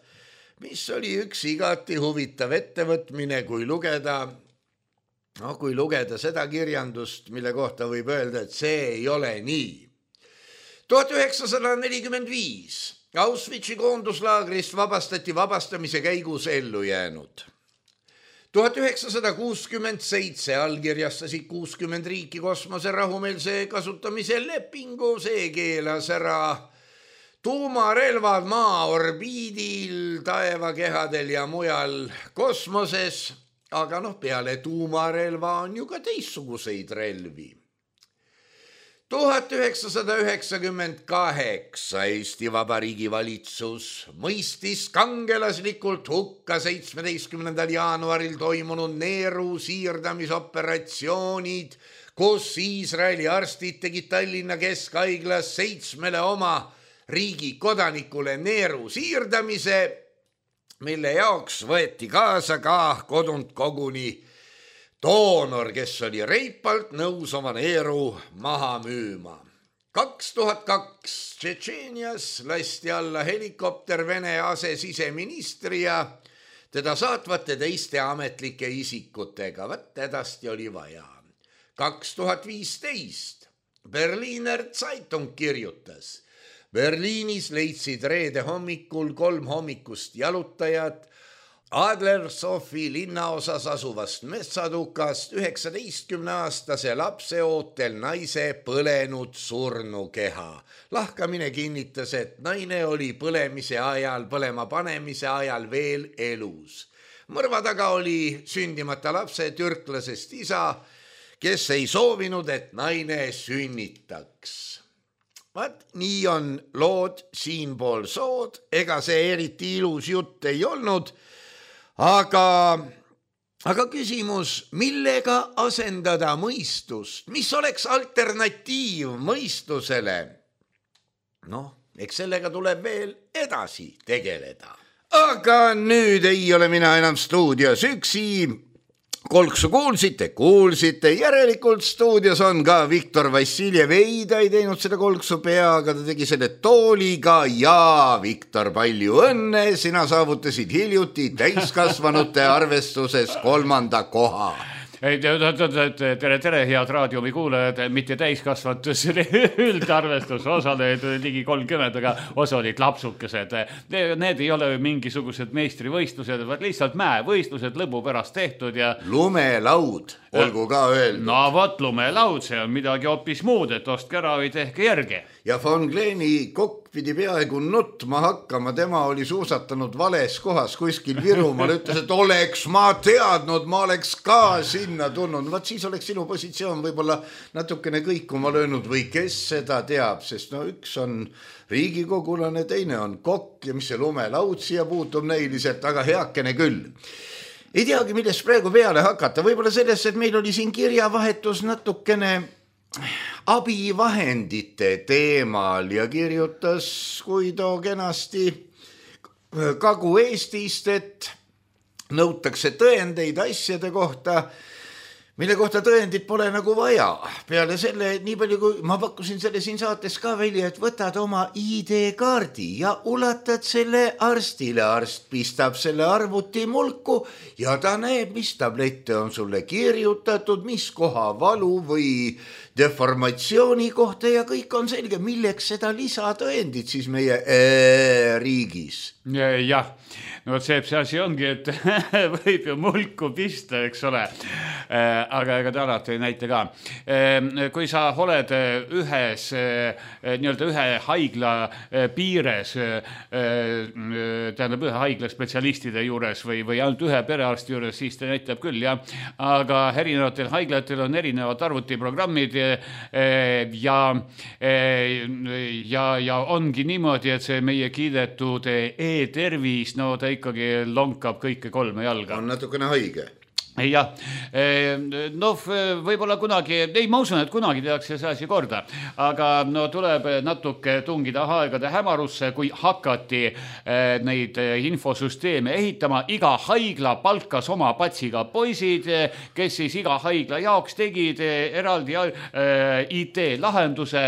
mis oli üks igati huvitav ettevõtmine, kui lugeda seda kirjandust, mille kohta võib öelda, et see ei ole nii. 1945 Auschwitzi koonduslaagrist vabastati vabastamise käigus ellu jäänud. 1967 allkirjastasid 60 riiki kosmose rahumeelse kasutamise lepingu, see keelas ära tuumarelvad maa orbiidil, taevakehadel ja mujal kosmoses, aga peale tuumarelva on ju ka teistsuguseid relvi. 1998 Eesti Vabariigi valitsus mõistis kangelaslikult hukka 17. jaanuaril toimunud neeru siirdamisoperatsioonid, kus Iisraeli arstid tegid Tallinna Keskhaiglas 7 oma riigi kodanikule neeru siirdamise, mille jaoks võeti kaasa ka kodunt koguni doonor, kes oli reipalt nõus oma neeru maha müüma. 2002 Tšetšeenias lasti alla helikopter Vene asesiseministri ja teda saatvate teiste ametlike isikutega. Hädasti oli vaja. 2015 Berliner Zeitung kirjutas: Berliinis leidsid reede hommikul 3 hommikust jalutajat Adlersofi linnaosas asuvast metsatukast 19-aastase lapse ootel naise põlenud surnukeha. Lahkamine kinnitas, et naine oli põlema panemise ajal veel elus. Mõrva taga oli sündimata lapse türklasest isa, kes ei soovinud, et naine sünnitaks. Nii on lood siinpool sood, ega see eriti ilus jutt ei olnud, aga aga küsimus, millega asendada mõistust, mis oleks alternatiiv mõistusele? Noh, eks sellega tuleb veel edasi tegeleda. Aga nüüd ei ole mina enam stuudios üksi. Kolksu kuulsite, järelikult stuudios on ka Viktor Vassiljev. Ei, ta ei teinud seda kolksu peaga, ta tegi selle tooliga ja Viktor, palju õnne, sina saavutasid hiljuti täiskasvanute arvestuses 3. koha. Tere, head raadiomi kuulajad, mitte täiskasvatus üldarvestus, osaleid ligi 30, aga osa olid lapsukesed. Need ei ole mingisugused meistrivõistlused, vaid lihtsalt mäevõistlused lõbu pärast tehtud ja... Lumelaud, olgu ka öeldud. No vot, lumelaud, see on midagi hoopis muud, et ostke ära või tehke järgi. Ja Von Kleeni kokk pidi peaaegu nutma hakkama, tema oli suusatanud vales kohas kuskil Virumaal, ütles, et oleks ma teadnud, ma oleks ka sinna tulnud. Vaat siis oleks sinu positsioon võib-olla natukene kõikuma löönud või kes seda teab, sest no üks on riigikogulane, teine on kokk ja mis see lumelaud siia puutub näiliselt, aga heakene küll. Ei teagi, millest praegu peale hakata, võib-olla sellest, et meil oli siin kirjavahetus natukene abivahendite teemal ja kirjutas Kuido kenasti Kagu-Eestist, et nõutakse tõendeid asjade kohta, mille kohta tõendid pole nagu vaja. Peale selle, nii palju kui ma pakkusin selle siin saates ka välja, et võtad oma ID-kaardi ja ulatad selle arstile. Arst pistab selle arvuti mulku ja ta näeb, mis tablette on sulle kirjutatud, mis koha valu või deformatsiooni kohta ja kõik on selge, milleks seda lisatõendid siis meie riigis. Jah, no see asi ongi, et võib ju mulku pista, eks ole. Aga ega ta alati ei näita ka. Kui sa oled ühe haigla piires, tähendab ühe haigla spetsialistide juures või ainult ühe perearsti juures, siis ta näitab küll, jah. Aga erinevatel haiglatel on erinevad arvutiprogrammid ja ongi niimoodi, et see meie kiidetud e-tervis, no ta ikkagi lonkab kõike 3 jalga. On natukene haige. Jah, no võib-olla kunagi, ei ma usun, et kunagi tehakse see asi korda, aga no tuleb natuke tungida aegade hämarusse, kui hakati neid infosüsteeme ehitama. Iga haigla palkas oma patsiga poisid, kes siis iga haigla jaoks tegid eraldi IT-lahenduse,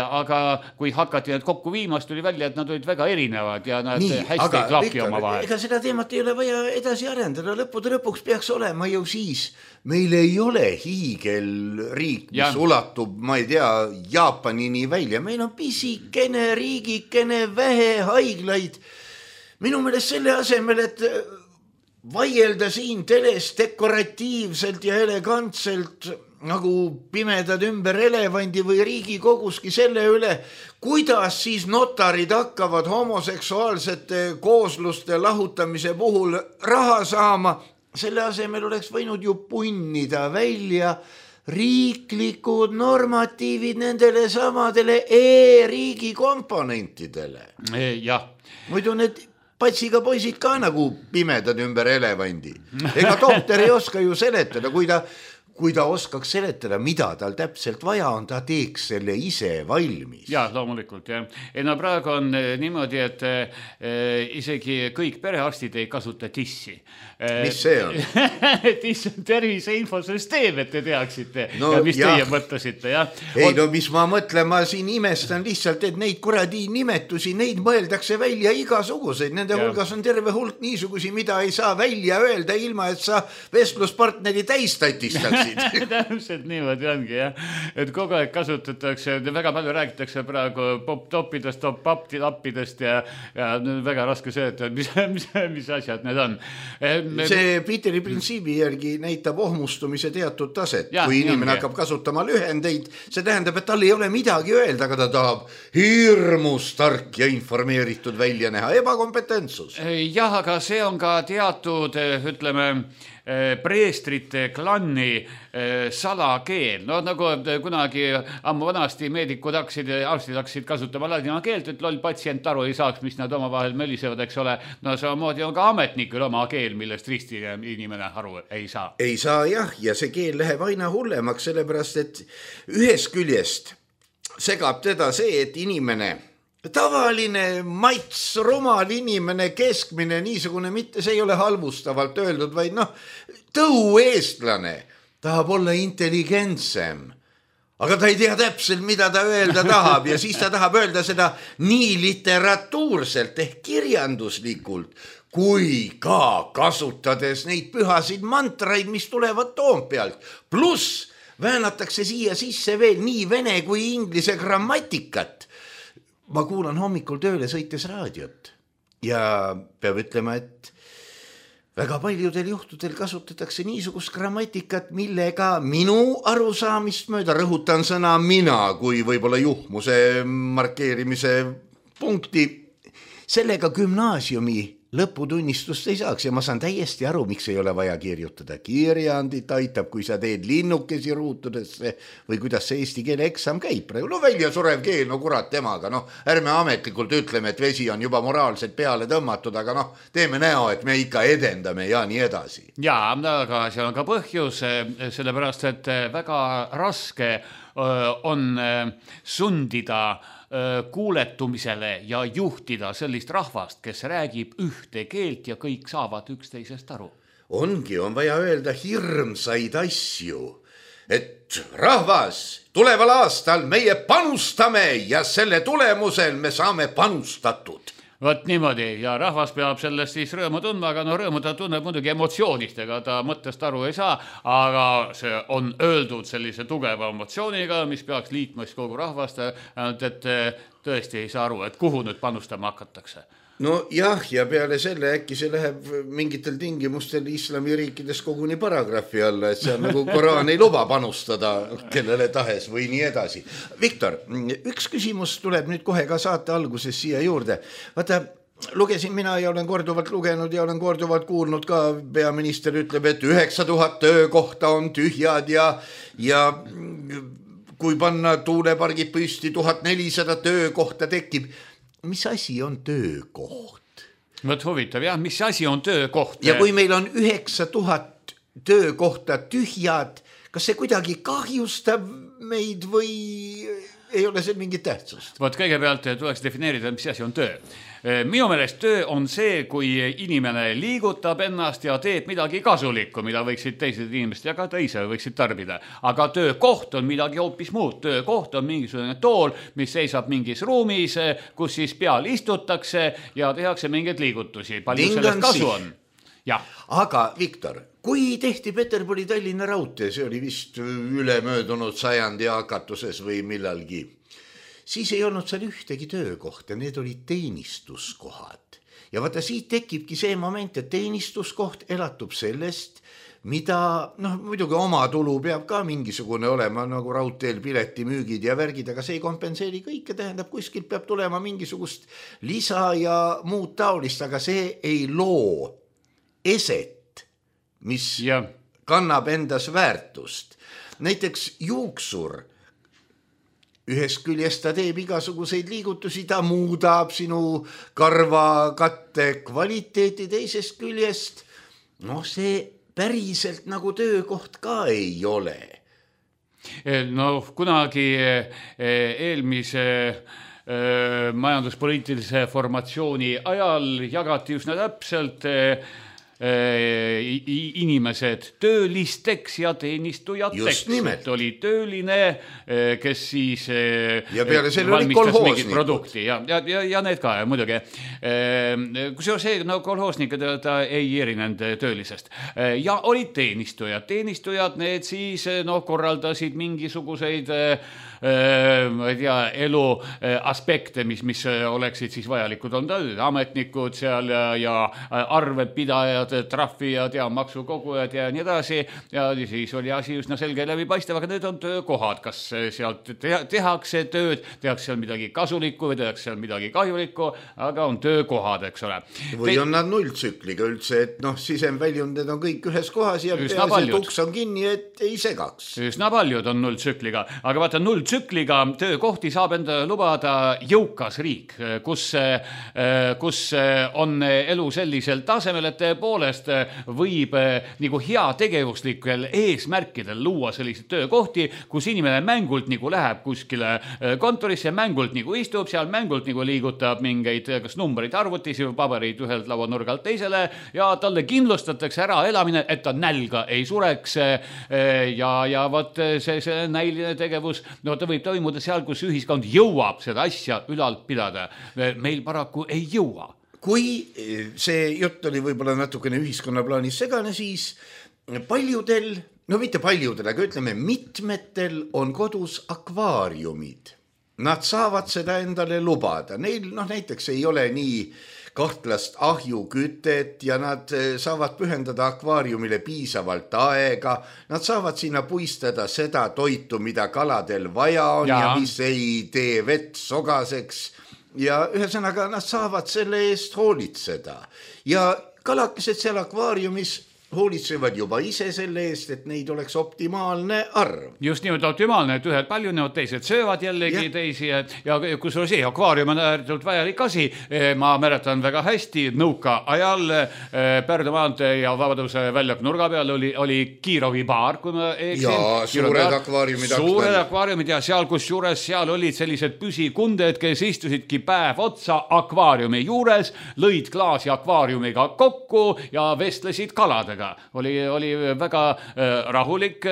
aga kui hakati need kokku viimast, tuli välja, et nad olid väga erinevad ja nad hästi klapi oma vahel. Ega seda teemat ei ole vaja edasi arendada, lõpuks peaks olema ju siis, meil ei ole hiigelriik, mis ulatub, ma ei tea, Jaapanini välja. Meil on pisikene riigikene, vähe haiglaid. Minu meelest selle asemel, et vaielda siin teles dekoratiivselt ja elegantselt nagu pimedad ümber elevandi või Riigikoguski selle üle, kuidas siis notarid hakkavad homoseksuaalsete koosluste lahutamise puhul raha saama. Selle asemel oleks võinud ju punnida välja riiklikud normatiivid nendele samadele e-riigi komponentidele. Jah. Muidu need patsiga poisid ka nagu pimedad ümber elevandi. Ega doktor ei oska ju seletada, kui ta oskaks seletada, mida tal täpselt vaja on, ta teeks selle ise valmis. Ja, loomulikult, jah. No praegu on niimoodi, et isegi kõik perearstid ei kasuta TIS-i. Mis see on? TIS on tervise infosüsteem, et te teaksite no, ja mis teie mõtlesite, jah. Ei, no mis ma mõtlen, ma siin imestan lihtsalt, et neid kuradi nimetusi, neid mõeldakse välja igasuguseid. Nende hulgas on terve hulk niisugusi, mida ei saa välja öelda ilma, et sa vestluspartneri täistatistaks. Täpselt niimoodi ongi, jah. Et kogu aeg kasutatakse, väga palju räägitakse praegu pop-toppidest, top-up-lappidest ja väga raske see, et mis asjad need on. See Peteri printsiibi järgi näitab ohmustumise teatud taset. Kui inimene hakkab kasutama lühendeid, see tähendab, et tal ei ole midagi öelda, aga ta tahab hirmus tark ja informeeritud välja näha. Ebakompetentsus. Jah, aga see on ka teatud, ütleme, preestrite klanni salakeel. No nagu kunagi ammu vanasti meedikud arstid hakkasid kasutama ladina keelt, et loll patsient aru ei saaks, mis nad omavahel mölisevad, eks ole. No samamoodi on ka ametnikul oma keel, millest risti inimene aru ei saa. Ei saa jah, ja see keel läheb aina hullemaks, sellepärast et ühest küljest segab teda see, et inimene tavaline mats, rumal inimene, keskmine, niisugune, mitte see ei ole halvustavalt öeldud, vaid tõueestlane tahab olla intelligentsem. Aga ta ei tea täpselt, mida ta öelda tahab ja siis ta tahab öelda seda nii literatuurselt ehk kirjanduslikult, kui ka kasutades neid pühasid mantraid, mis tulevad Toompealt. Pluss väänatakse siia sisse veel nii vene kui inglise grammatikat. Ma kuulan hommikul tööle sõites raadiot ja peab ütlema, et väga paljudel juhtudel kasutatakse niisugust grammatikat, millega minu arusaamist mööda, rõhutan sõna mina kui võib-olla juhmuse markeerimise punkti, sellega gümnaasiumi lõputunnistust ei saaks ja ma saan täiesti aru, miks ei ole vaja kirjutada kirjandit, aitab, kui sa teed linnukesi ruutudesse või kuidas see eesti keele eksam käib praegu. No välja surev keel, no kurat temaga, ärme ametlikult ütleme, et vesi on juba moraalselt peale tõmmatud, aga teeme näo, et me ikka edendame ja nii edasi. Jaa, aga seal on ka põhjus, sellepärast, et väga raske on sundida kuuletumisele ja juhtida sellist rahvast, kes räägib ühte keelt ja kõik saavad üksteisest aru. On vaja öelda hirmsaid asju, et rahvas, tuleval aastal meie panustame ja selle tulemusel me saame panustatud. Vot niimoodi ja rahvas peab sellest siis rõõmu tundma, aga rõõmu ta tunneb muidugi emotsioonistega, ta mõttest aru ei saa, aga see on öeldud sellise tugeva emotsiooniga, mis peaks liitmas kogu rahvast, et tõesti ei saa aru, et kuhu nüüd panustama hakatakse. No jah, ja peale selle äkki see läheb mingitel tingimustel islamiriikides koguni paragrahvi alla, et see on nagu Koraan ei luba panustada kellele tahes või nii edasi. Viktor, üks küsimus tuleb nüüd kohe ka saate alguses siia juurde. Vaata, lugesin mina ja olen korduvalt lugenud ja olen korduvalt kuulnud ka, peaminister ütleb, et 9000 töökohta on tühjad ja kui panna tuulepargid püsti 1400 töökohta tekib. Mis asi on töökoht? Võt huvitav, jah, mis asi on töökoht? Ja kui meil on 9000 töökohta tühjad, kas see kuidagi kahjustab meid või ei ole see mingit tähtsust? Võt kõigepealt tuleks defineerida, mis asi on töö. Minu meelest töö on see, kui inimene liigutab ennast ja teeb midagi kasulikku, mida võiksid teised inimesed ja ka teise võiksid tarbida. Aga töökoht on midagi hoopis muud. Töökoht on mingisugune tool, mis seisab mingis ruumis, kus siis peal istutakse ja tehakse mingeid liigutusi. Palju sellest kasu on? Ja. Aga Viktor, kui tehti Peterburi Tallinna raudtee, see oli vist ülemöödunud sajandi hakatuses või millalgi, siis ei olnud seal ühtegi töökohta, need olid teenistuskohad. Ja vaata, siit tekibki see moment, et teenistuskoht elatub sellest, mida, muidugi oma tulu peab ka mingisugune olema, nagu raudteel piletimüügid ja värgid, aga see ei kompenseeri kõike, tähendab, kuskilt peab tulema mingisugust lisa ja muud taolist, aga see ei loo eset, mis kannab endas väärtust. Näiteks juuksur, ühest küljest ta teeb igasuguseid liigutusi, ta muudab sinu karvakatte kvaliteeti, teisest küljest, see päriselt nagu töökoht ka ei ole. Kunagi eelmise majanduspoliitilise formatsiooni ajal jagati üsna täpselt inimesed töölisteks ja teenistujateks. Oli tööline, kes siis ja peale selle oli kolhoosnikud. Ja need ka muidugi. Kusjuures see kolhoosnikud ei erinenud töölisest. Ja olid teenistujad. Teenistujad need siis korraldasid mingisuguseid elu aspekte, mis oleksid siis vajalikud. On ametnikud seal ja arvedpidajad head trahvijad ja maksukogujad ja nii edasi ja siis oli asi üsna selge läbipaistev, aga need on töökohad, kas sealt tehakse tööd, tehakse seal midagi kasulikku või tehakse seal midagi kahjulikku, aga on töökohad, eks ole. Või on nad nulltsükliga üldse, et sisemväljundid on kõik ühes kohas ja peaasi, et uks on kinni, et ei segaks. Üsna paljud on nulltsükliga, aga vaata nulltsükliga töökohti saab enda lubada jõukas riik, kus on elu sellisel tasemel, et tõepoolest võib nagu heategevuslikel eesmärkidel luua selliseid töökohti, kus inimene mängult nagu läheb kuskile kontorisse, mängult nagu istub, seal mängult nagu liigutab mingeid kas numbreid arvutis või pabereid ühelt lauanurgalt teisele ja talle kindlustatakse ära elamine, et ta nälga ei sureks ja vot see näiline tegevus, ta võib toimuda seal, kus ühiskond jõuab seda asja ülal pidada. Meil paraku ei jõua. Kui see jutt oli võib-olla natukene ühiskonna plaanis segane, siis paljudel, mitte paljudel, aga ütleme mitmetel on kodus akvaariumid. Nad saavad seda endale lubada. Neil näiteks ei ole nii kahtlast ahjukütet ja nad saavad pühendada akvaariumile piisavalt aega. Nad saavad sinna puistada seda toitu, mida kaladel vaja on ja mis ei tee vett sogaseks. Ja ühesõnaga nad saavad selle eest hoolitseda. Ja kalakesed seal akvaariumis hoolitsevad juba ise selle eest, et neid oleks optimaalne arv. Just nimelt optimaalne, et ühed paljunevad, teised söövad jällegi teisi ja kusjuures akvaarium on ääretult vajalik asi. Ma mäletan väga hästi, nõuka ajal Pärnu maantee ja Vabaduse väljaku nurga peal oli Kiirovi baar, kui ma eksin. Ja suured akvaariumid. Suured akvaariumid ja seal, kus juures seal olid sellised püsikunded, kes istusidki päev otsa akvaariumi juures, lõid klaasi akvaariumiga kokku ja vestlesid kaladega. Oli väga rahulik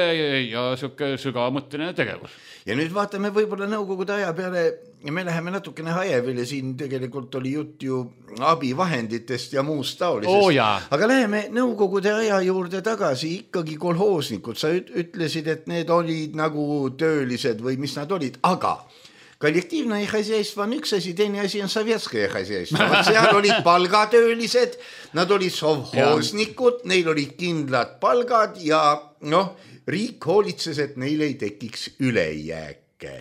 ja sügavamõtteline tegevus. Ja nüüd vaatame võib-olla nõukogude aja peale ja me läheme natukene hajevile, siin tegelikult oli jutt ju abivahenditest ja muust taolisest. Aga läheme nõukogude aja juurde tagasi, ikkagi kolhoosnikud. Sa ütlesid, et need olid nagu töölised või mis nad olid, aga kollektiivne hõisjaistva on üks asi, teine asi on sovjetske hõisjaistva. Seal olid palgatöölised, nad olid sovhoosnikud, neil olid kindlad palgad ja riik hoolitses, et neil ei tekiks ülejääke.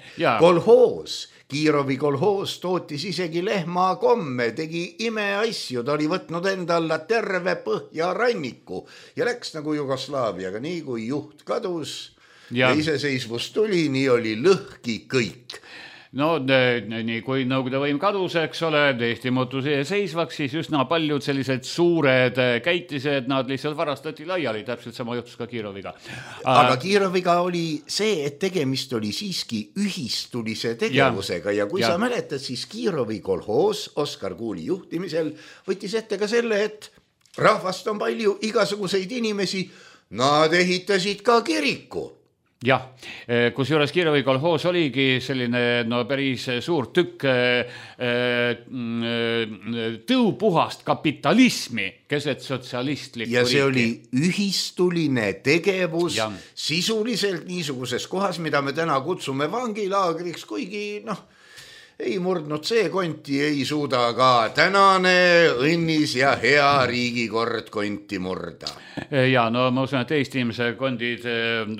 Kolhoos, Kiirovi kolhoos tootis isegi lehmakomme, tegi imeasju, ta oli võtnud endalla terve Põhjaranniku ja läks nagu Jugoslaaviaga, nii kui juht kadus ja iseseisvus tuli, nii oli lõhki kõik. Nii kui Nõukogude võim kadus, eks ole, Eesti muutus seisvaks, siis üsna paljud sellised suured käitised, nad lihtsalt varastati laiali, täpselt sama juhtus ka Kiiroviga. Aga Kiiroviga oli see, et tegemist oli siiski ühistulise tegevusega ja kui sa mäletad, siis Kiirovi kolhoos Oskar Kuuli juhtimisel võttis ette ka selle, et rahvast on palju igasuguseid inimesi, nad ehitasid ka kiriku. Jah, kus juures Kiirovi kolhoos oligi selline päris suur tükk tõupuhast kapitalismi keset sotsialistlikku ja see oli ühistuline tegevus sisuliselt niisuguses kohas, mida me täna kutsume vangilaagriks, kuigi ei murdnud see konti, ei suuda ka tänane õnnis ja hea riigikord konti murda. Ja ma usun, et Eesti inimese kondid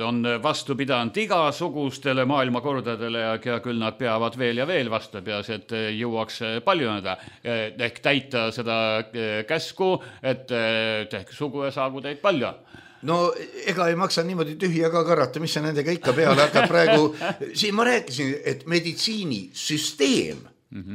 on vastu pidanud igasugustele maailmakordadele ja küll nad peavad veel ja veel vastu peas, et jõuaks paljuneda ehk täita seda käsku, et tehke sugu ja saagu teid palju. Ega ei maksa niimoodi tühja ka karata, mis sa nendega ikka peale hakkab praegu. Siin ma rääkisin, et meditsiinisüsteem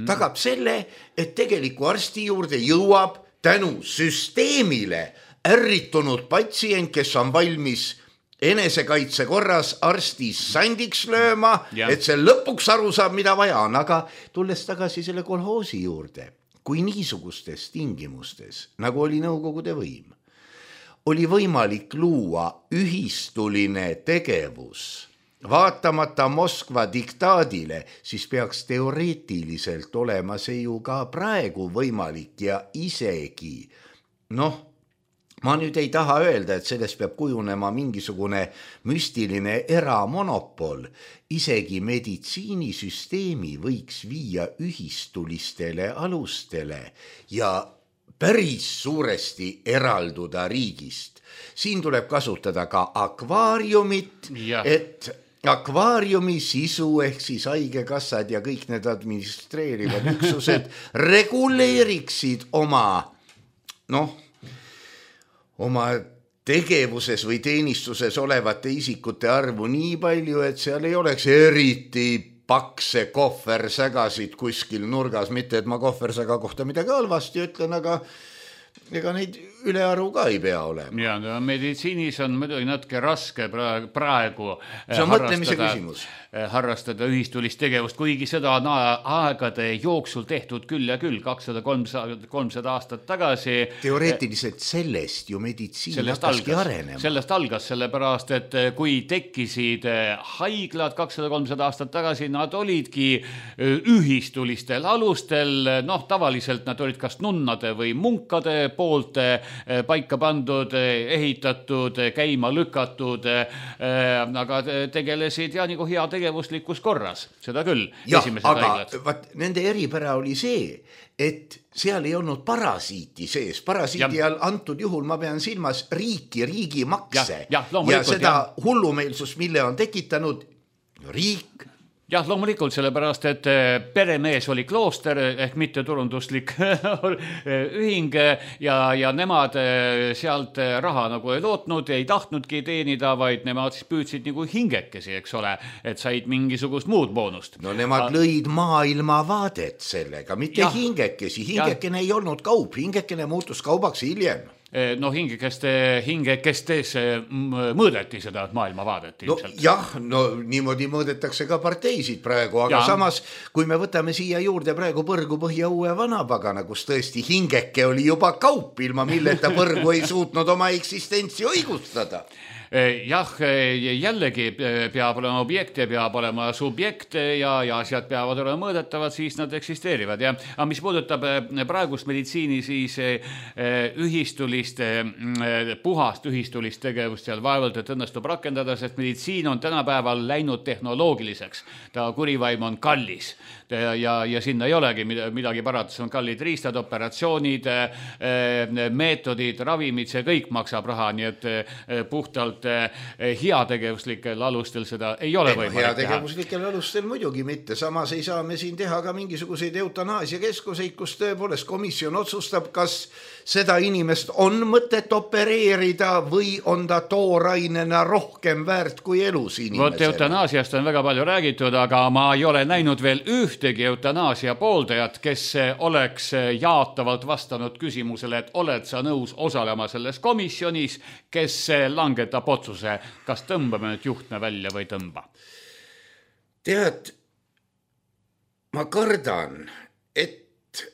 tagab selle, et tegeliku arsti juurde jõuab tänu süsteemile ärritunud patsient, kes on valmis enesekaitse korras arsti sandiks lööma, et see lõpuks aru saab, mida vaja on. Aga tulles tagasi selle kolhoosi juurde, kui niisugustes tingimustes, nagu oli Nõukogude võim, oli võimalik luua ühistuline tegevus, vaatamata Moskva diktaadile, siis peaks teoreetiliselt olema see ju ka praegu võimalik ja isegi, ma nüüd ei taha öelda, et sellest peab kujunema mingisugune müstiline eramonopol, isegi meditsiinisüsteemi võiks viia ühistulistele alustele ja päris suuresti eralduda riigist. Siin tuleb kasutada ka akvaariumit, et akvaariumi sisu ehk siis haigekassad ja kõik need administreerivad üksused reguleeriksid oma tegevuses või teenistuses olevate isikute arvu nii palju, et seal ei oleks eriti pakse kohversägasid kuskil nurgas, mitte et ma kohversäga kohta midagi halvasti ütlen, aga ega neid ülearu ka ei pea olema. Ja no, meditsiinis on muidugi natuke raske praegu harrastada ühistulist tegevust, kuigi seda on aegade jooksul tehtud küll ja küll, 200-300 aastat tagasi. Teoreetiliselt sellest ju meditsiin hakkaski arenema. Sellest algas, sellepärast, et kui tekkisid haiglad 200-300 aastat tagasi, nad olidki ühistulistel alustel, tavaliselt nad olid kas nunnade või munkade poolt paika pandud, ehitatud, käima lükatud, aga tegelesid ja nagu hea tegevuslikus korras, seda küll. Jah, aga nende eripära oli see, et seal ei olnud parasiiti sees. Parasiiti all antud juhul ma pean silmas riigi makse ja seda hullumeelsust, mille on tekitanud riik. Jah, loomulikult, sellepärast, et peremees oli klooster ehk mitteturunduslik ühing ja nemad sealt raha nagu ei lootnud, ei tahtnudki teenida, vaid nemad siis püüdsid nagu hingekesi, eks ole, et said mingisugust muud boonust. No nemad lõid maailmavaadet sellega, mitte hingekesi. Hingekene ei olnud kaup, hingekene muutus kaubaks hiljem. No hingekestes mõõdeti seda maailmavaadet ilmselt. Niimoodi mõõdetakse ka parteisid praegu, aga samas, kui me võtame siia juurde praegu Põrgu Põhja Uue Vanapagana, kus tõesti hingeke oli juba kaup, ilma milleta Põrgu ei suutnud oma eksistentsi õigustada. Jah, jällegi peab olema objekt ja peab olema subjekt ja asjad peavad olema mõõdetavad, siis nad eksisteerivad. Aga mis puudutab praegust meditsiini, siis puhast ühistulist tegevust seal vaevalt, et õnnestub rakendada, sest meditsiin on tänapäeval läinud tehnoloogiliseks. Ta kurivaim on kallis ja sinna ei olegi midagi paratus, on kallid riistad, operatsioonid, meetodid, ravimid, see kõik maksab raha, nii et puhtalt heategevuslikel alustel seda ei ole võimalik teha. Heategevuslikel alustel muidugi mitte, samas ei saa me siin teha ka mingisuguseid eutanaasiakeskuseid, kus tõepoolest komisjon otsustab, kas seda inimest on mõtet opereerida või on ta toorainena rohkem väärt kui elus inimesele. Vot eutanaasiast on väga palju räägitud, aga ma ei ole näinud veel ühtegi eutanaasia pooldajat, kes oleks jaatavalt vastanud küsimusele, et oled sa nõus osalema selles komisjonis, kes langetab otsuse, kas tõmbame nüüd juhtme välja või tõmba. Tead, ma kardan, et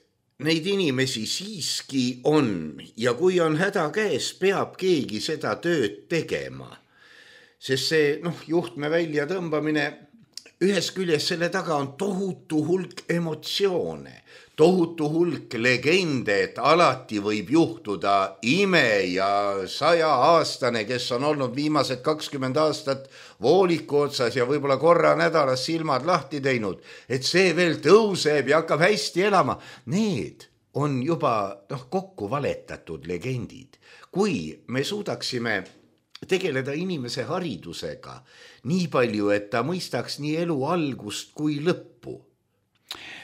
neid inimesi siiski on ja kui on häda käes, peab keegi seda tööd tegema. Sest see juhtme välja tõmbamine, ühes küljes selle taga on tohutu hulk emotsioone, tohutu hulk legende, et alati võib juhtuda ime ja 100-aastane, kes on olnud viimased 20 aastat vooliku otsas ja võib-olla korra nädalas silmad lahti teinud, et see veel tõuseb ja hakkab hästi elama. Need on juba kokku valetatud legendid. Kui me suudaksime tegeleda inimese haridusega nii palju, et ta mõistaks nii elu algust kui lõppu,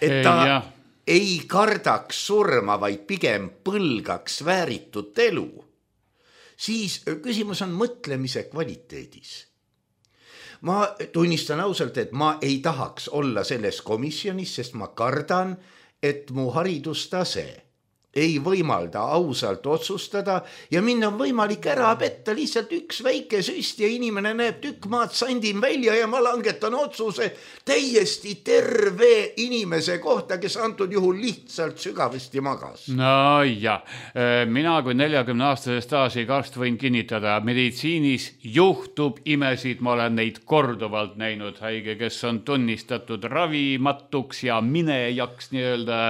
et ta ei kardaks surma, vaid pigem põlgaks vääritut elu, siis küsimus on mõtlemise kvaliteedis. Ma tunnistan ausalt, et ma ei tahaks olla selles komisjonis, sest ma kardan, et mu haridustase ei võimalda ausalt otsustada ja minna on võimalik ära petta lihtsalt üks väike süst ja inimene näeb tükk maad sandin välja ja ma langetan otsuse täiesti terve inimese kohta, kes antud juhul lihtsalt sügavasti magas. No jah, mina kui 40-aastase staažiga arst võin kinnitada, meditsiinis juhtub imesid, ma olen neid korduvalt näinud, haige, kes on tunnistatud ravimatuks ja minejaks nii-öelda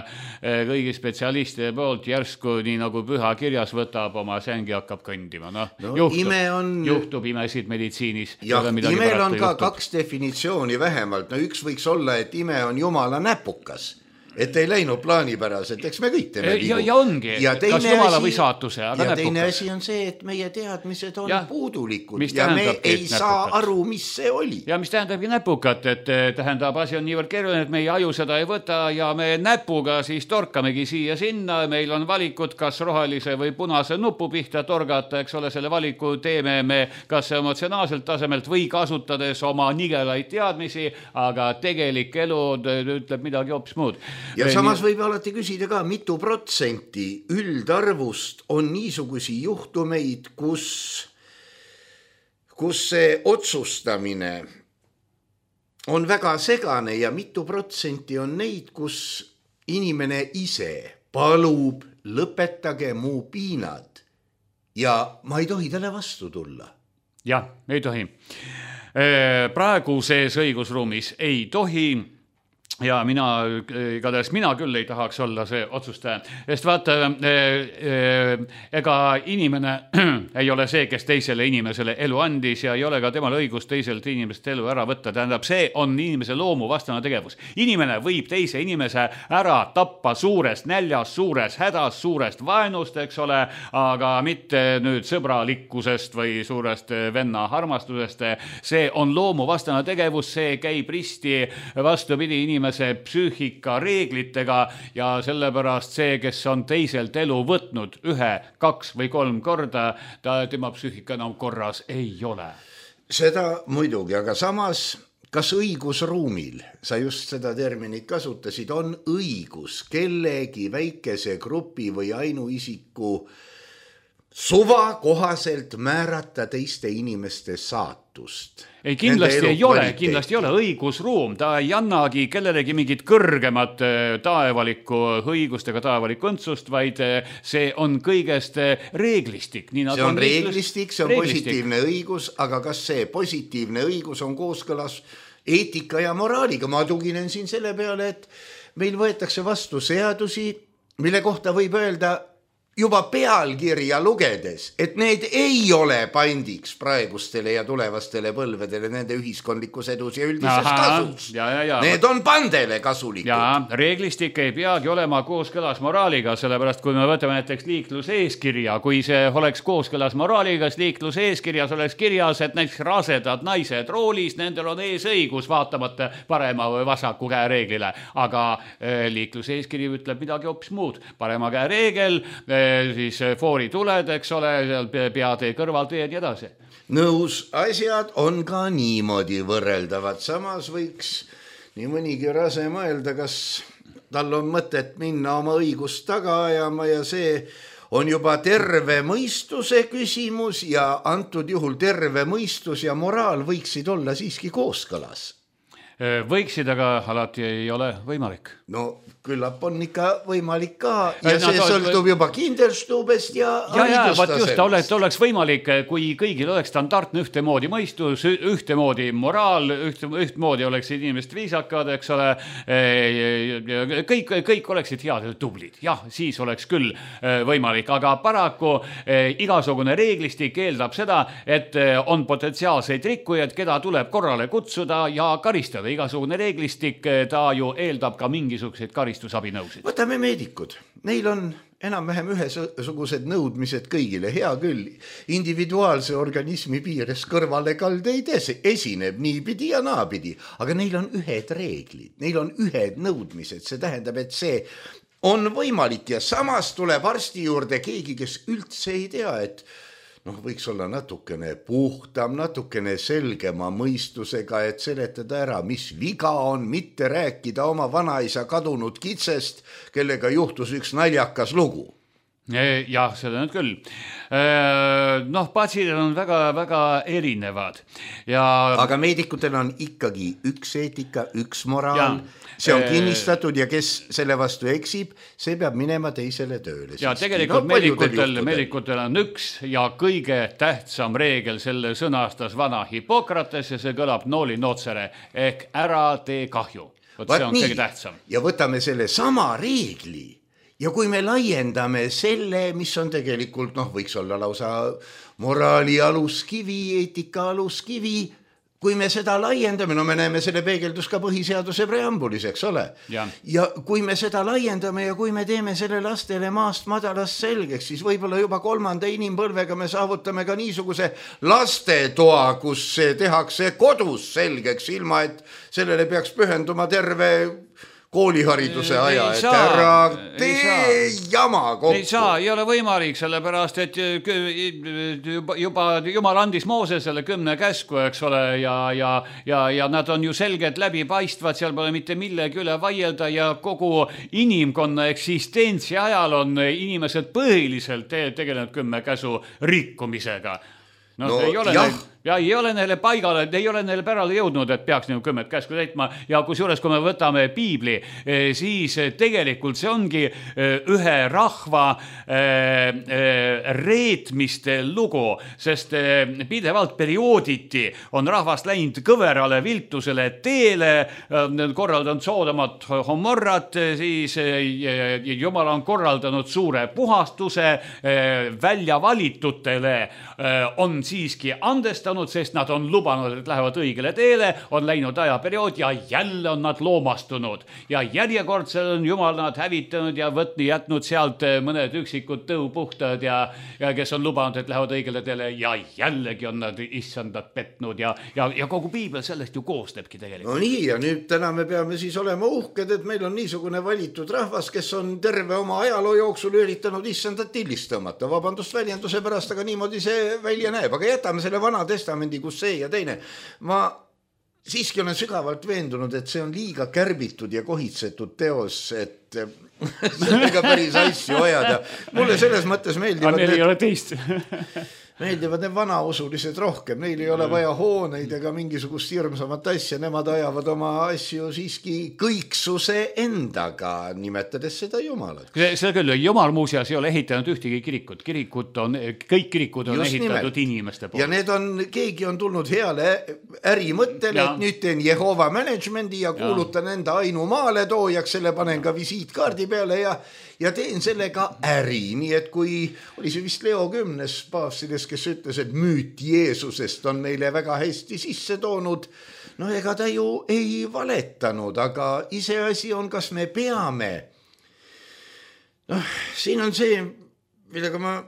kõigi spetsialistide poolt, järsku nii nagu püha kirjas võtab oma sängi, hakkab kõndima. Juhtub imesid meditsiinis. Jah, imel on ka kaks definitsiooni vähemalt. Üks võiks olla, et ime on jumala näpukas et ei läinud plaanipäraselt, eks me kõik teeme vigu. Ja ongi, kas jumala või saatuse, aga ja teine asi on see, et meie teadmised on puudulikud ja me ei saa aru, mis see oli. Ja mis tähendabki näpukat, et tähendab, asi on niivõrd keeruline, et meie aju seda ei võta ja me näpuga siis torkamegi siia sinna, meil on valikud, kas rohelise või punase nupu pihta torgata, eks ole, selle valiku teeme me kas emotsionaalselt tasemelt või kasutades oma nigelaid teadmisi, aga tegelik elu ütleb midagi hoopis muud. Ja samas võib alati küsida ka, mitu protsenti üldarvust on niisugusi juhtumeid, kus see otsustamine on väga segane ja mitu protsenti on neid, kus inimene ise palub, lõpetage mu piinad ja ma ei tohi talle vastu tulla. Jah, ei tohi. Praeguses õigusruumis ei tohi ja igatahes mina küll ei tahaks olla see otsustaja. Sest vaata, ega inimene ei ole see, kes teisele inimesele elu andis ja ei ole ka temal õigust teiselt inimest elu ära võtta. Tähendab, see on inimese loomu vastane tegevus. Inimene võib teise inimese ära tappa suurest näljast, suurest hädast, suurest vaenust, eks ole, aga mitte nüüd sõbralikkusest või suurest venna armastusest. See on loomu vastane tegevus, see käib risti vastupidi inimese psüühika reeglitega ja sellepärast see, kes on teiselt elu võtnud 1, 2 või 3 korda, tema psüühika enam korras ei ole. Seda muidugi, aga samas, kas õigusruumil, sa just seda terminit kasutasid, on õigus kellegi väikese grupi või ainuisiku suva kohaselt määrata teiste inimeste saatust? Ei, kindlasti ei ole õigusruum, ta ei annagi kellelegi mingit kõrgemat taevalikku õigust ega taevalikku õndsust, vaid see on kõigest reeglistik. See on reeglistik, see on positiivne õigus, aga kas see positiivne õigus on kooskõlas eetika ja moraaliga? Ma tuginen siin selle peale, et meil võetakse vastu seadusi, mille kohta võib öelda juba pealkirja lugedes, et need ei ole pandiks praegustele ja tulevastele põlvedele nende ühiskondlikus edus ja üldises kasus. Need on pandele kasulikud. Ja reeglistik ei peagi olema kooskõlas moraaliga, sellepärast kui me võtame näiteks liikluseeskirja, kui see oleks kooskõlas moraaliga, liikluseeskirjas oleks kirjas, et näiteks rasedad naised roolis, nendel on eesõigus vaatamata parema või vasaku käe reeglile, aga liikluseeskiri ütleb midagi hoopis muud. Parema käe reegel, siis foori tuled, eks ole, peatee kõrvalteed ja edasi. Nõus, asjad on ka niimoodi võrreldavad. Samas võiks nii mõnigi rase mõelda, kas tal on mõtet minna oma õigust taga ajama ja see on juba terve mõistuse küsimus ja antud juhul terve mõistus ja moraal võiksid olla siiski kooskõlas. Võiksid, aga alati ei ole võimalik. No küllap on ikka võimalik ka ja see sõltub juba Kinderstubest ja haridustasemest. Oleks võimalik, kui kõigil oleks standardne ühtemoodi mõistus, ühtemoodi moraal, ühtemoodi oleksid inimesed viisakad, eks ole, kõik oleksid head ja tublid. Jah, siis oleks küll võimalik, aga paraku igasugune reeglistik eeldab seda, et on potentsiaalseid rikkujaid, keda tuleb korrale kutsuda ja karistada. Igasugune reeglistik, ta ju eeldab ka mingisuguseid karistusabinõusid. Võtame meedikud. Neil on enam-vähem ühesugused nõudmised kõigile. Hea küll, individuaalse organismi piires kõrvalekaldeid esineb niipidi ja naapidi, aga neil on ühed reeglid, neil on ühed nõudmised. See tähendab, et see on võimalik ja samas tuleb arsti juurde keegi, kes üldse ei tea, et võiks olla natukene puhtam, natukene selgema mõistusega, et seletada ära, mis viga on, mitte rääkida oma vanaisa kadunud kitsest, kellega juhtus üks naljakas lugu. Jah, seda nüüd küll. Patsiendid on väga erinevad. Aga meedikutel on ikkagi üks eetika, üks moraal. See on kinnistatud ja kes selle vastu eksib, see peab minema teisele tööle. Ja tegelikult meedikutel on üks ja kõige tähtsam reegel selle sõnastas vana Hippokrates ja see kõlab nooli notsere ehk ära tee kahju. See on kõige tähtsam. Ja võtame selle sama reegli ja kui me laiendame selle, mis on tegelikult, võiks olla lausa moraali aluskivi, eetika aluskivi, kui me seda laiendame, no me näeme selle peegeldus ka põhiseaduse preambulis, eks ole. Ja kui me seda laiendame ja kui me teeme selle lastele maast madalast selgeks, siis võib-olla juba 3. inimpõlvega me saavutame ka niisuguse lastetoa, kus see tehakse kodus selgeks, ilma et sellele peaks pühenduma terve koolihariduse aja, et ära tee jama kokku. Ei ole võimalik, sellepärast, et juba Jumal andis Moosesele 10 käsku, eks ole, ja nad on ju selgelt läbipaistvad, seal pole mitte millegi üle vaielda ja kogu inimkonna eksistentsi ajal on inimesed põhiliselt tegelenud 10 käsu rikkumisega. No, ei ole neile paigale, ei ole neile pärale jõudnud, et peaks 10 käsku täitma ja kusjuures, kui me võtame piibli, siis tegelikult see ongi ühe rahva reetmiste lugu, sest pidevalt periooditi on rahvast läinud kõverale viltusele teele, korraldanud Soodomat Homorrat, siis Jumal on korraldanud suure puhastuse, välja valitutele on siiski andestanud, sest nad on lubanud, et lähevad õigele teele, on läinud ajaperiood ja jälle on nad loomastunud. Ja järjekordsel on Jumal nad hävitanud ja jätnud sealt mõned üksikud tõupuhtad ja kes on lubanud, et lähevad õigele teele ja jällegi on nad issandat petnud ja kogu piibel sellest ju koosnebki tegelikult. No nii, ja nüüd täna me peame siis olema uhked, et meil on niisugune valitud rahvas, kes on terve oma ajaloo jooksul üritanud issandat tillist tõmmata. Vabandust väljenduse pärast, aga niimoodi see välja näeb. Aga jätame selle vana testamendi, kus see ja teine. Ma siiski olen sügavalt veendunud, et see on liiga kärbitud ja kohitsetud teos, et sellega päris asju ajada. Mulle selles mõttes meeldivad meeldivad need vanausulised rohkem. Neil ei ole vaja hooneid ega mingisugust hirmsamat asja. Nemad ajavad oma asju siiski kõiksuse endaga, nimetades seda Jumalat. See küll, Jumal muuseas ei ole ehitanud ühtegi kirikut. Kõik kirikud on just ehitatud nimelt inimeste poolt. Ja need keegi on tulnud heale ärimõttele, et nüüd teen Jehova managemendi ja kuulutan enda ainumaale toojaks, selle panen ka visiitkaardi peale ja teen sellega äri. Nii et kui oli see vist Leo 10. paavsides, kes ütles, et müüt Jeesusest on meile väga hästi sisse toonud, no ega ta ju ei valetanud, aga iseasi on, kas me peame. Siin on see, millega ma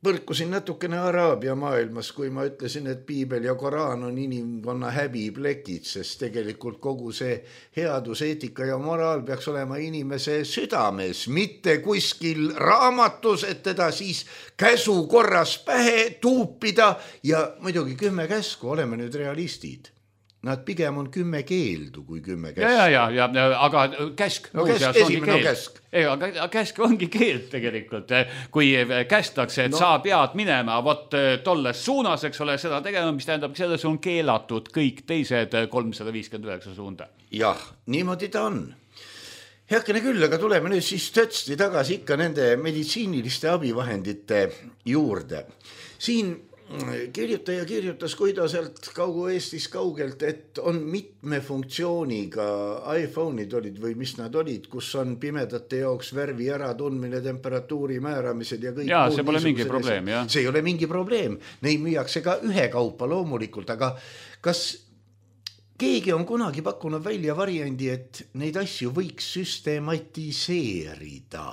põrkusin natukene Araabia maailmas, kui ma ütlesin, et piibel ja Koraan on inimkonna häbiplekid, sest tegelikult kogu see headus, eetika ja moraal peaks olema inimese südames, mitte kuskil raamatus, et teda siis käsu korras pähe tuupida ja muidugi 10 käsku, oleme nüüd realistid. Nad pigem on 10 keeldu kui 10 käsku. Ja, aga käsk esimene käsk. Aga käsk ongi keeld tegelikult. Kui kästakse, et sa pead minema vot tolles suunas, eks ole, seda tegema, mis tähendab, selles on keelatud kõik teised 359 suunda. Jah, niimoodi ta on. Heakene küll, aga tuleme nüüd siis tõtsti tagasi ikka nende meditsiiniliste abivahendite juurde. Siin kirjutaja kirjutas, kui ta sealt Kaugu-Eestis kaugelt, et on mitme funktsiooniga iPhone'id olid või mis nad olid, kus on pimedate jaoks värvi äratundmine, temperatuuri määramised ja kõik. Ja, see pole mingi probleem, jah. See ei ole mingi probleem. Neid müüakse ka ühe kaupa loomulikult, aga kas keegi on kunagi pakkunud välja variandi, et neid asju võiks süstematiseerida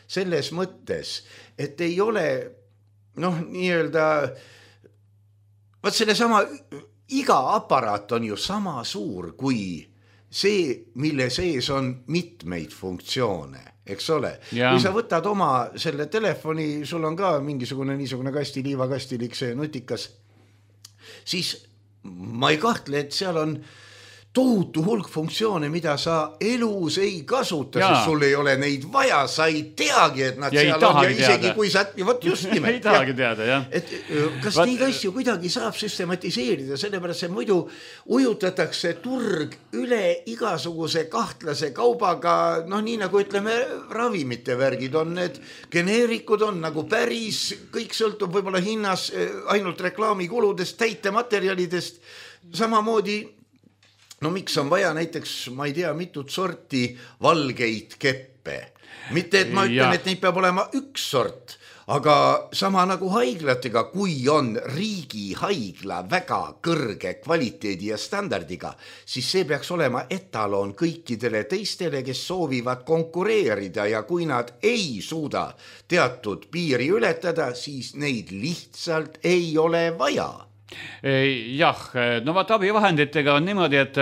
selles mõttes, et ei ole nii-öelda, vaat selle sama, iga aparaat on ju sama suur kui see, mille sees on mitmeid funktsioone, eks ole. Kui sa võtad oma selle telefoni, sul on ka mingisugune niisugune liivakastilik see nutikas, siis ma ei kahtle, et seal on tohutu hulk funktsioone, mida sa elus ei kasuta, sest sul ei ole neid vaja, sa ei teagi, et nad ja seal on ja isegi kui sa, võt just nimelt. Ei tahagi teada, jah. Et kas neid asju kuidagi saab süstematiseerida, sellepärast see muidu ujutatakse turg üle igasuguse kahtlase kaubaga, nii nagu ütleme, ravimite värgid on, need geneerikud on nagu päris, kõik sõltub võib-olla hinnas ainult reklaamikuludest, täitematerjalidest, samamoodi. Miks on vaja näiteks, ma ei tea, mitut sorti valgeid keppe. Mitte, et ma ütlen, et neid peab olema üks sort, aga sama nagu haiglatega, kui on riigihaigla väga kõrge kvaliteedi ja standardiga, siis see peaks olema etaloon kõikidele teistele, kes soovivad konkureerida ja kui nad ei suuda teatud piiri ületada, siis neid lihtsalt ei ole vaja. Jah, no vaat abivahenditega on niimoodi, et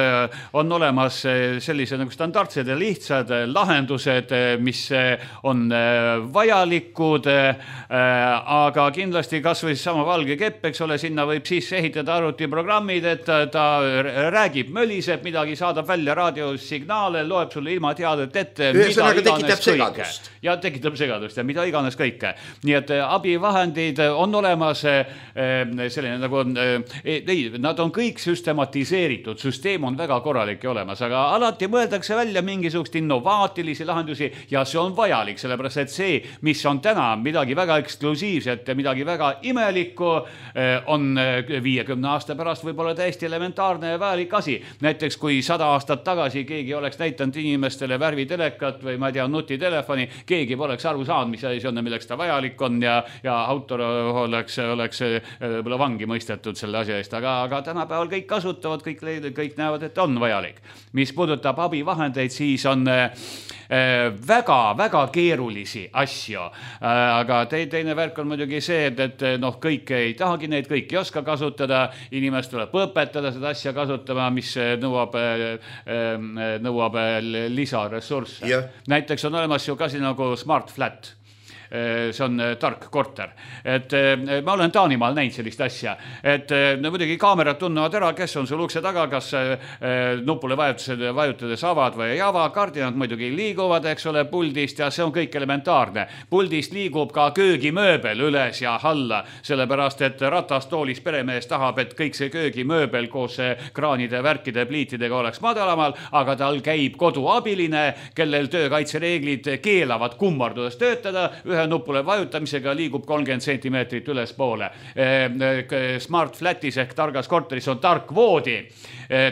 on olemas sellise nagu standardsed ja lihtsad lahendused, mis on vajalikud, aga kindlasti kas või sama valge kepp, eks ole, sinna võib sisse ehitada arvutiprogrammid, et ta räägib, möliseb midagi, saadab välja raadiosignaale, loeb sulle ilma teadet ette, ühesõnaga tekitab segadust. Ja tekitab segadust ja mida iganes kõike. Nii et abivahendid on olemas selline nagu nad on kõik süstematiseeritud, süsteem on väga korralik ja olemas, aga alati mõeldakse välja mingisugust innovaatilisi lahendusi ja see on vajalik, sellepärast et see, mis on täna midagi väga eksklusiivset ja midagi väga imelikku, on 50 aasta pärast võib-olla täiesti elementaarne ja vajalik asi. Näiteks kui 100 aastat tagasi keegi oleks näitanud inimestele värvitelekat või ma ei tea, nutitelefoni, keegi poleks aru saanud, mis asi on ja milleks ta vajalik on ja autor oleks võib-olla vangi mõistetud selle asja eest, aga tänapäeval kõik kasutavad, kõik näevad, et on vajalik. Mis puudutab abivahendeid, siis on väga-väga keerulisi asju, aga teine värk on muidugi see, et kõik ei tahagi neid, kõik ei oska kasutada, inimest tuleb õpetada seda asja kasutama, mis nõuab lisaressursse. Yeah. Näiteks on olemas ju kasi nagu Smart Flat. See on tark korter. Et ma olen Taanimaal näinud sellist asja, et muidugi kaamerad tunnevad ära, kes on sul ukse taga, kas nupule vajutades avad või ei ava, kardinad muidugi liiguvad, eks ole, puldist ja see on kõik elementaarne. Puldist liigub ka köögimööbel üles ja alla, sellepärast et ratastoolis peremees tahab, et kõik see köögimööbel koos kraanide, värkide, pliitidega oleks madalamal, aga tal käib koduabiline, kellel töökaitsereeglid keelavad kummardudes töötada, ühe nupule vajutamisega liigub 30 sentimeetrit üles poole. Smart Flatis ehk targas korteris on tark voodi.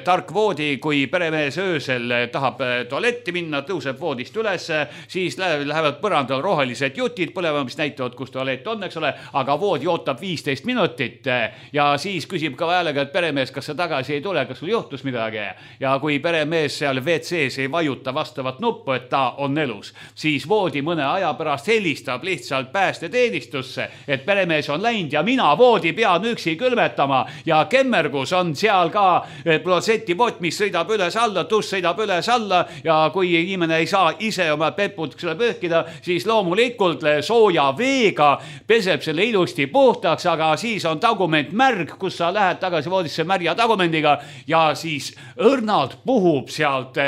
Tark voodi, kui peremees öösel tahab tualetti minna, tõuseb voodist üles, siis lähevad põrandal rohelised jutid põlema, mis näitavad, kus tualett on, eks ole, aga voodi ootab 15 minutit ja siis küsib ka vajalega, et peremees, kas sa tagasi ei tule, kas sul juhtus midagi. Ja kui peremees seal WC-s ei vajuta vastavat nuppu, et ta on elus, siis voodi mõne aja pärast helistab lihtsalt päästeteenistusse, et peremees on läinud ja mina voodi pean üksi külmetama ja kemmergus on seal ka klosetipott, mis sõidab üles alla, tuss sõidab üles alla ja kui inimene ei saa ise oma pepud pöökida, siis loomulikult sooja veega peseb selle ilusti puhtaks, aga siis on tagument märg, kus sa lähed tagasi voodisse märja tagumendiga ja siis õrnalt puhub sealt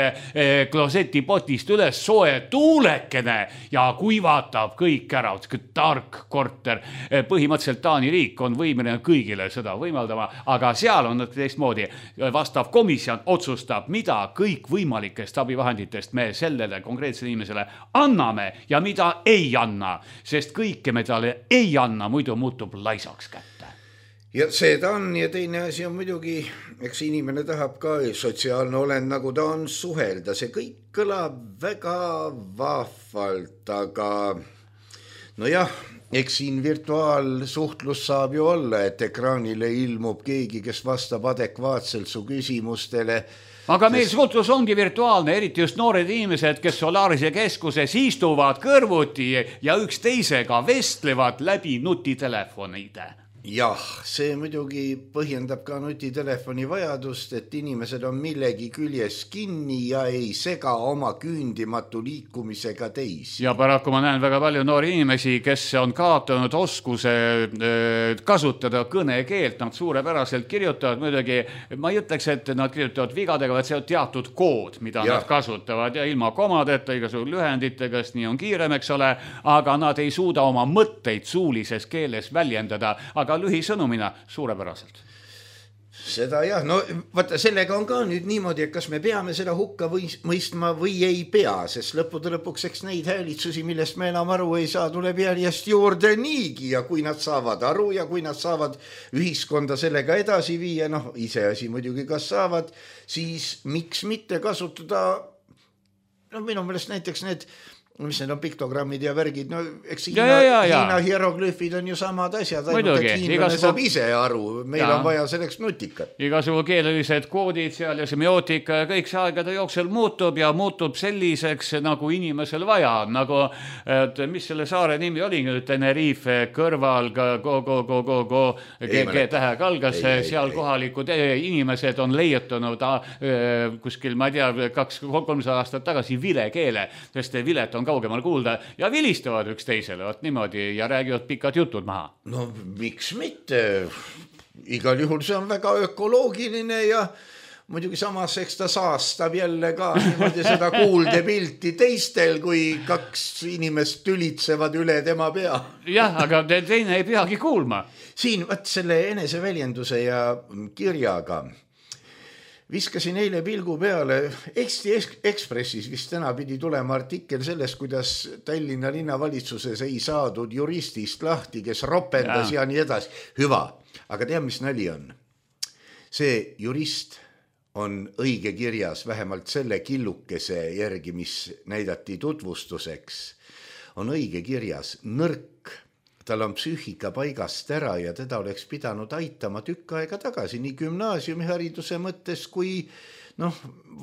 klosetipotist üles soe tuulekene ja kuivatab kõik ära, tark korter. Põhimõtteliselt Taani riik on võimeline kõigile seda võimaldama, aga seal on teistmoodi. Vastav komisjon otsustab, mida kõik võimalikest abivahenditest me sellele konkreetsele inimesele anname ja mida ei anna, sest kõike me talle ei anna, muidu muutub laisaks kätte. Ja seda on ja teine asi on muidugi, eks inimene tahab ka sotsiaalne olend, nagu ta on suhelda. See kõik kõlab väga vahvalt, aga nojah, eks siin virtuaalsuhtlus saab ju olla, et ekraanile ilmub keegi, kes vastab adekvaatselt su küsimustele. Aga meil suhtlus ongi virtuaalne, eriti just noored inimesed, kes Solarise keskuses istuvad kõrvuti ja üksteisega vestlevad läbi nutitelefonide. Jah, see muidugi põhjendab ka nutitelefoni vajadust, et inimesed on millegi küljes kinni ja ei sega oma küündimatu liikumisega teisi. Ja paraku ma näen väga palju noori inimesi, kes on kaotanud oskuse kasutada kõnekeelt, nad suurepäraselt kirjutavad, muidugi ma ei ütleks, et nad kirjutavad vigadega, vaid see on teatud kood, mida nad kasutavad ja ilma komadeta, igasugu lühenditega, nii on kiirem, eks ole, aga nad ei suuda oma mõtteid suulises keeles väljendada, aga lühisõnumina suurepäraselt. Seda jah, no vaata, sellega on ka nüüd niimoodi, et kas me peame seda hukka mõistma või ei pea, sest lõppude lõpuks eks neid häälitsusi, millest me enam aru ei saa, tuleb järjest juurde niigi ja kui nad saavad aru ja kui nad saavad ühiskonda sellega edasi viia, iseasi muidugi kas saavad, siis miks mitte kasutada, minu meelest näiteks need mis need on piktogrammid ja värgid, no eks Hiina hieroglüüfid on ju samad asjad, ainult et hiinlane saab ise aru, meil on vaja selleks nutikat. Igasugu keelelised koodid seal ja semiootika ja kõik see aegade jooksel muutub ja muutub selliseks, nagu inimesel vaja, nagu, et mis selle saare nimi oli, Tenerife kõrval, G-tähega algas, seal kohalikud inimesed on leiutanud kuskil, ma ei tea, 200-300 aastat tagasi vilekeele, sest vilet on kaugemal kuulda ja vilistavad üksteisele, vot niimoodi ja räägivad pikad jutud maha. No miks mitte? Igal juhul see on väga ökoloogiline ja muidugi samas eks ta saastab jälle ka niimoodi seda kuuldepilti teistel, kui kaks inimest tülitsevad üle tema pea. Jah, aga teine ei peagi kuulma. Siin võt selle eneseväljenduse ja kirjaga viskasin eile pilgu peale, Eesti Ekspressis vist täna pidi tulema artikkel sellest, kuidas Tallinna linnavalitsuses ei saadud juristist lahti, kes ropendas ja nii edasi. Hüva, aga tea, mis nali on? See jurist on õige kirjas, vähemalt selle killukese järgi, mis näidati tutvustuseks, on õige kirjas nõrk. Tal on psüühika paigast ära ja teda oleks pidanud aitama tükk aega tagasi nii gümnaasiumihariduse mõttes kui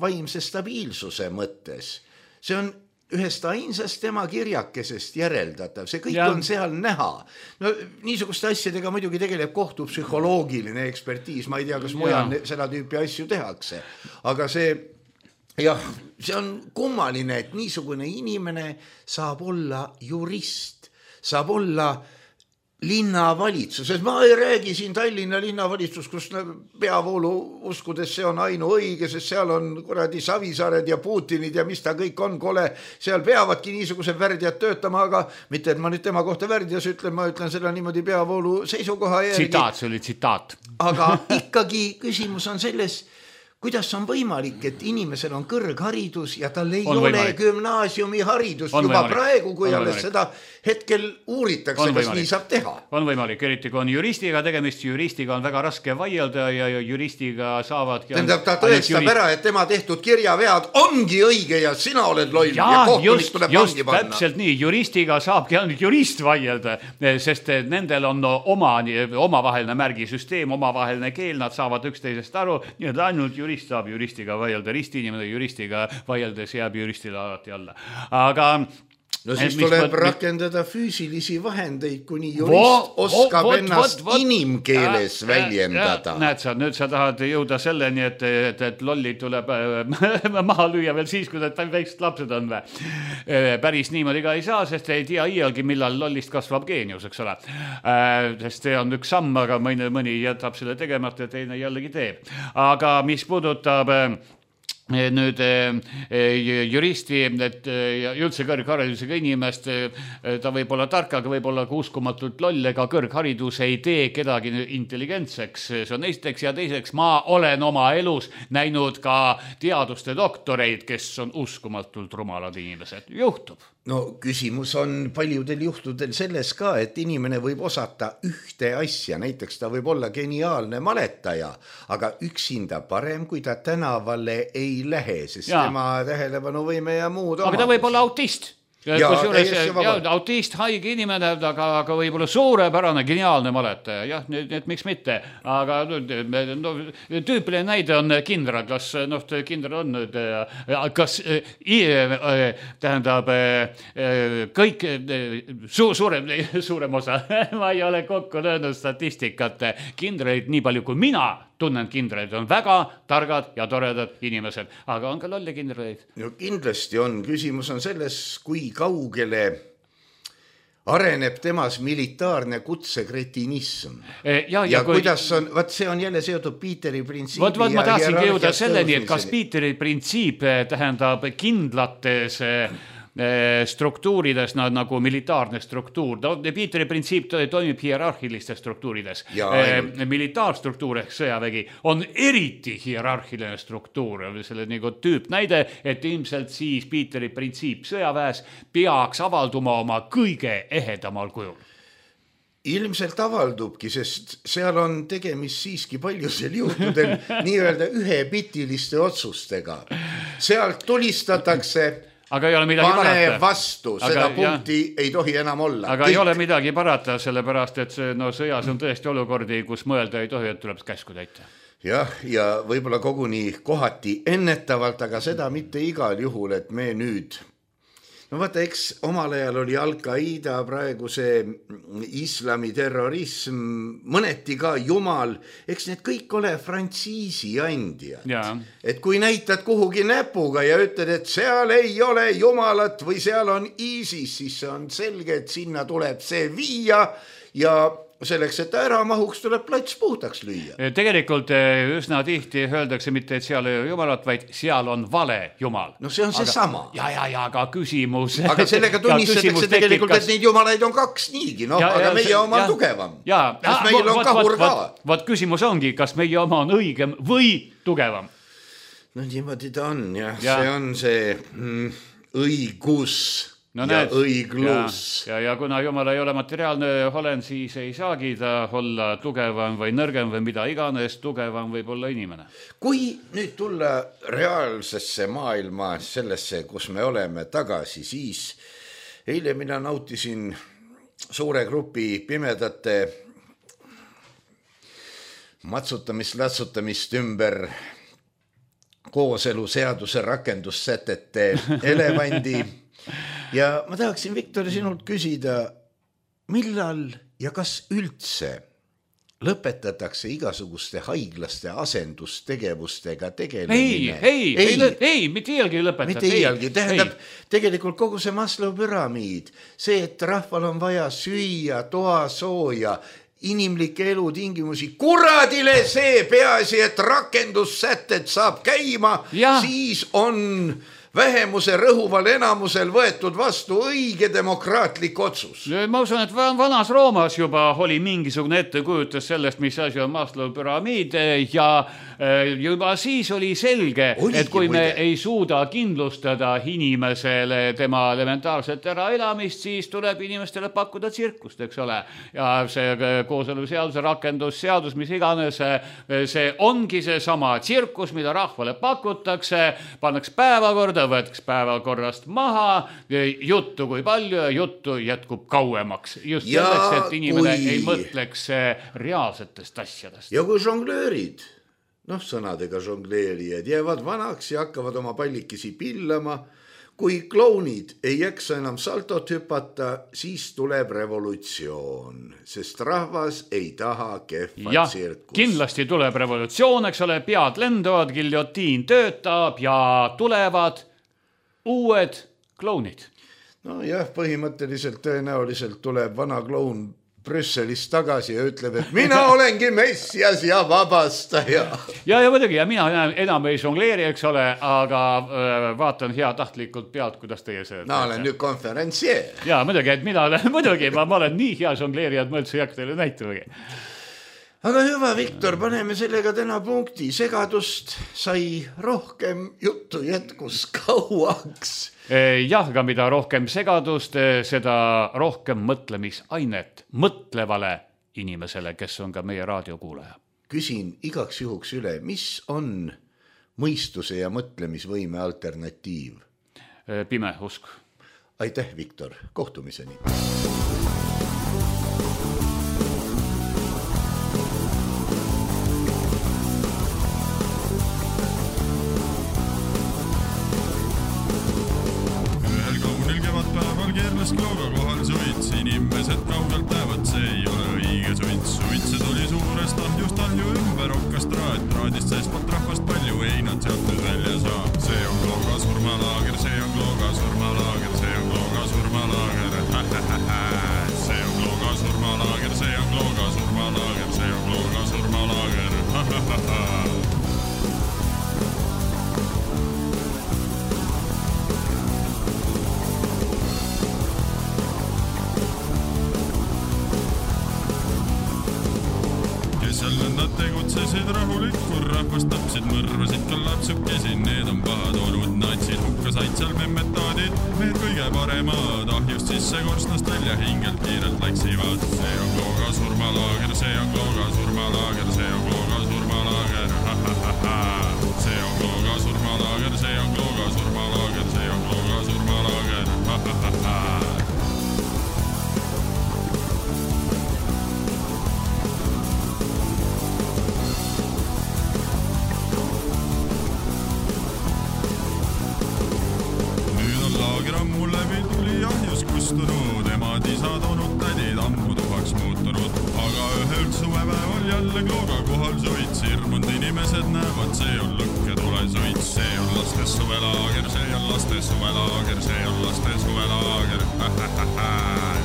vaimse stabiilsuse mõttes. See on ühest ainsast tema kirjakesest järeldatav, see kõik on seal näha. No niisuguste asjadega muidugi tegeleb kohtupsühholoogiline ekspertiis, ma ei tea, kas mujal seda tüüpi asju tehakse, aga see on kummaline, et niisugune inimene saab olla jurist, saab olla linnavalitsuses. Ma ei räägi siin Tallinna linnavalitsus, kus peavoolu uskudes see on ainuõige, sest seal on kuradi Savisaared ja Putinid ja mis ta kõik on kole. Seal peavadki niisugused värdjad töötama, aga mitte, et ma nüüd tema kohta värdjas ütlen, ma ütlen seda niimoodi peavoolu seisukoha järgi. Tsitaat, see oli tsitaat. Aga ikkagi küsimus on selles, kuidas on võimalik, et inimesel on kõrgharidus ja tal ei ole gümnaasiumiharidus juba praegu, kui alles seda hetkel uuritakse, kas nii saab teha. On võimalik, eriti kui on juristiga tegemist, juristiga on väga raske vaielda ja juristiga saavad... Tähendab, ta tõestab ära, et tema tehtud kirjavead ongi õige ja sina oled loll ja kohtunik tuleb vangi panna. Täpselt nii, juristiga saabki ainult jurist vaielda, sest nendel on omavaheline märgisüsteem, omavaheline keel, nad saavad üksteisest aru, nii et ainult jurist saab juristiga vaielda, ristiinimene juristiga vaieldes jääb juristile alati alla. Aga no siis tuleb rakendada füüsilisi vahendeid, kuni jurist oskab ennast inimkeeles väljendada. Näed sa, nüüd sa tahad jõuda selleni, et lollid tuleb maha lüüa veel siis, kui need väiksed lapsed on. Päris niimoodi ka ei saa, sest ei tea iialgi, millal lollist kasvab geenius, eks ole. Sest see on üks samm, aga mõni jätab selle tegemata ja teine jällegi teeb. Aga mis puudutab... nüüd juristi, et üldse kõrgharidusega inimest, ta võib olla tark, aga võib olla ka uskumatult loll, ega kõrgharidus ei tee kedagi intelligentseks. See on esiteks ja teiseks, ma olen oma elus näinud ka teaduste doktoreid, kes on uskumatult rumalad inimesed. Juhtub. No küsimus on paljudel juhtudel selles ka, et inimene võib osata ühte asja, näiteks ta võib olla geniaalne maletaja, aga üksinda parem, kui ta tänavale ei lähe, sest tema tähelepanuvõime ja muud aga ta võib olla autist. Autist, haige inimene, aga võib olla suurepärane, geniaalne maletaja. Jah, nüüd miks mitte. Aga tüüpiline näide on kindral. Kas kindral on nüüd, kas tähendab kõik suurem osa, ma ei ole kokku löönud statistikat, kindraid nii palju kui mina tunnen kindraid, on väga targad ja toredad inimesed, aga on ka lolli kindraid. No kindlasti on. Küsimus on selles, kui kaugele areneb temas militaarne kutsekretinism. Ja kuidas on, see on jälle seotud Pieteri printsiibi ma tahtsingi jõuda selleni, et kas Pieteri printsiip tähendab kindlates struktuurides nagu militaarne struktuur. Pieteri printsiip toimib hierarhilistes struktuurides. Militaarstruktuur ehk sõjavägi on eriti hierarhiline struktuur. Selle nagu tüüp näide, et ilmselt siis Pieteri printsiip sõjaväes peaks avalduma oma kõige ehedamal kujul. Ilmselt avaldubki, sest seal on tegemist siiski paljusel juhtudel nii-öelda ühepitiliste otsustega. Sealt tulistatakse Aga ei ole midagi pane parata. vastu, seda punkti ei tohi enam olla. Aga ei ole midagi parata, sellepärast, et see, sõjas on tõesti olukordi, kus mõelda ei tohi, et tuleb käsku täita. Jah, ja võib-olla koguni kohati ennetavalt, aga seda mitte igal juhul, et me nüüd... No vaata, eks omal ajal oli Al-Qaida, praegu see islami terrorism, mõneti ka jumal, eks need kõik ole frantsiisi andjad. Et kui näitad kuhugi näpuga ja ütled, et seal ei ole jumalat või seal on ISIS, siis on selge, et sinna tuleb see viia ja selleks, et ära mahuks, tuleb plats puhtaks lüüa. Tegelikult üsna tihti öeldakse mitte, et seal ei ole jumalat, vaid seal on vale jumal. No see on see sama. Ja, aga küsimus... Aga sellega tunnistatakse tegelikult, et neid jumalaid on kaks niigi, no, aga meie oma on tugevam. Kas meil on kahur ka? Vaat küsimus ongi, kas meie oma on õigem või tugevam? No niimoodi ta on, jah. See on see õigus... No ja õiglus. Ja kuna Jumal ei ole materiaalne olend, siis ei saagi ta olla tugevam või nõrgem või mida iganes, tugevam võib olla inimene. Kui nüüd tulla reaalsesse maailma, sellesse, kus me oleme tagasi, siis eile mina nautisin suure grupi pimedate matsutamist ümber kooselu seaduse rakendussätete elevandi. Ja ma tahaksin, Viktor, sinult küsida, millal ja kas üldse lõpetatakse igasuguste haiglaste asendustegevustega tegelemine? Ei, mitte iialgi lõpetada. Mitte iialgi, tähendab tegelikult kogu see Maslow püramiid, see, et rahval on vaja süüa, toa sooja, inimlikke elutingimusi, kuradile see peaasi, et rakendussätted saab käima, siis on... vähemuse rõhuval enamusel võetud vastu õige demokraatlik otsus. Ma usun, et vanas Roomas juba oli mingisugune ettekujutus sellest, mis asi on Maslow püramiid ja juba siis oli selge, et kui me ei suuda kindlustada inimesele tema elementaarset äraelamist, siis tuleb inimestele pakkuda tsirkust, eks ole. Ja see kooseluseaduse rakendusseadus, mis iganes, see ongi see sama tsirkus, mida rahvale pakutakse, pannaks päevakorda, võetaks päevakorrast maha, juttu kui palju ja juttu jätkub kauemaks. Just selleks, et inimene ei mõtleks reaalsetest asjadest. Ja kui žonglöörid, sõnadega žongleerijad, jäävad vanaks ja hakkavad oma pallikisi pillama, kui klounid ei jaksa enam saltot hüpata, siis tuleb revolutsioon, sest rahvas ei taha kehva tsirkust. Kindlasti tuleb revolutsioon, eks ole, pead lenduvad, giljotiin töötab ja tulevad uued klounid. No jah, põhimõtteliselt tõenäoliselt tuleb vana kloun Brüsselist tagasi ja ütleb, et mina olengi messias ja vabastaja. Ja muidugi, ja mina enam ei žongleeri, eks ole, aga vaatan hea tahtlikult pealt, kuidas teie see... No olen nüüd konferentsier. Ja muidugi, et mina olen nii hea žongleeri, et ma üldse ei hakka teile näitamagi. Aga hüva, Viktor, paneme sellega täna punkti. Segadust sai rohkem, juttu jätkus kauaks. Jah, aga mida rohkem segadust, seda rohkem mõtlemisainet mõtlevale inimesele, kes on ka meie raadiokuulaja. Küsin igaks juhuks üle, mis on mõistuse ja mõtlemisvõime alternatiiv? Pime usk. Aitäh, Viktor. Kohtumiseni. Klooga kohal suits, inimesed kaugelt näevad, see ei ole õige suits. Suitse tuli suurest ahjust ahju ümber okkas traat, traadist seespalt rahvast palju, ei nad sealt nüüd välja saa. See on Klooga surmalaager, see on Klooga surmalaager, see on Klooga surmalaager, see on Klooga surmalaager, see on Klooga surmalaager, see on Klooga surmalaager, Nad tegutsesid rahulikul, rahvast tapsid, mõrvasid ka lapsukesi, need on pahad olud, natsid hukka said seal memmetaadid, need kõige paremad, ahjust sisse korstnast välja hingelt kiirelt läksivad. See on Klooga surmalaager, see on Klooga surmalaager, see on Klooga surmalaager, see on Klooga surmalaager, see on Klooga surmalaager, see on Klooga surmalaager. isa toonud tädid ammu tuhaks muutunud. Aga ühel suvepäeval jälle klooga kohal suits. Hirmunud inimesed näevad, see on lõkk ja tule suits. See on laste suvelaager, see on laste suvelaager, see on laste suvelaager.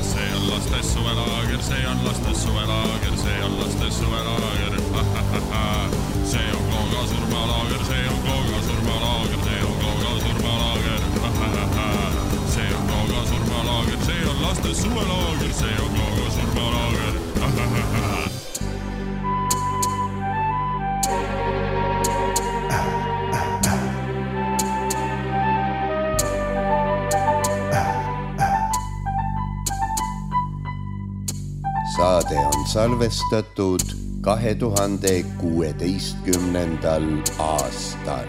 See on laste suvelaager, see on laste suvelaager, see on laste suvelaager. See on klooga surmalaager, see on klooga surmalaager, see on klooga surmalaager. See on klooga surmalaager, see on laste suvelaager, see on klooga surmalaager. Saade on salvestatud 2016. aastal.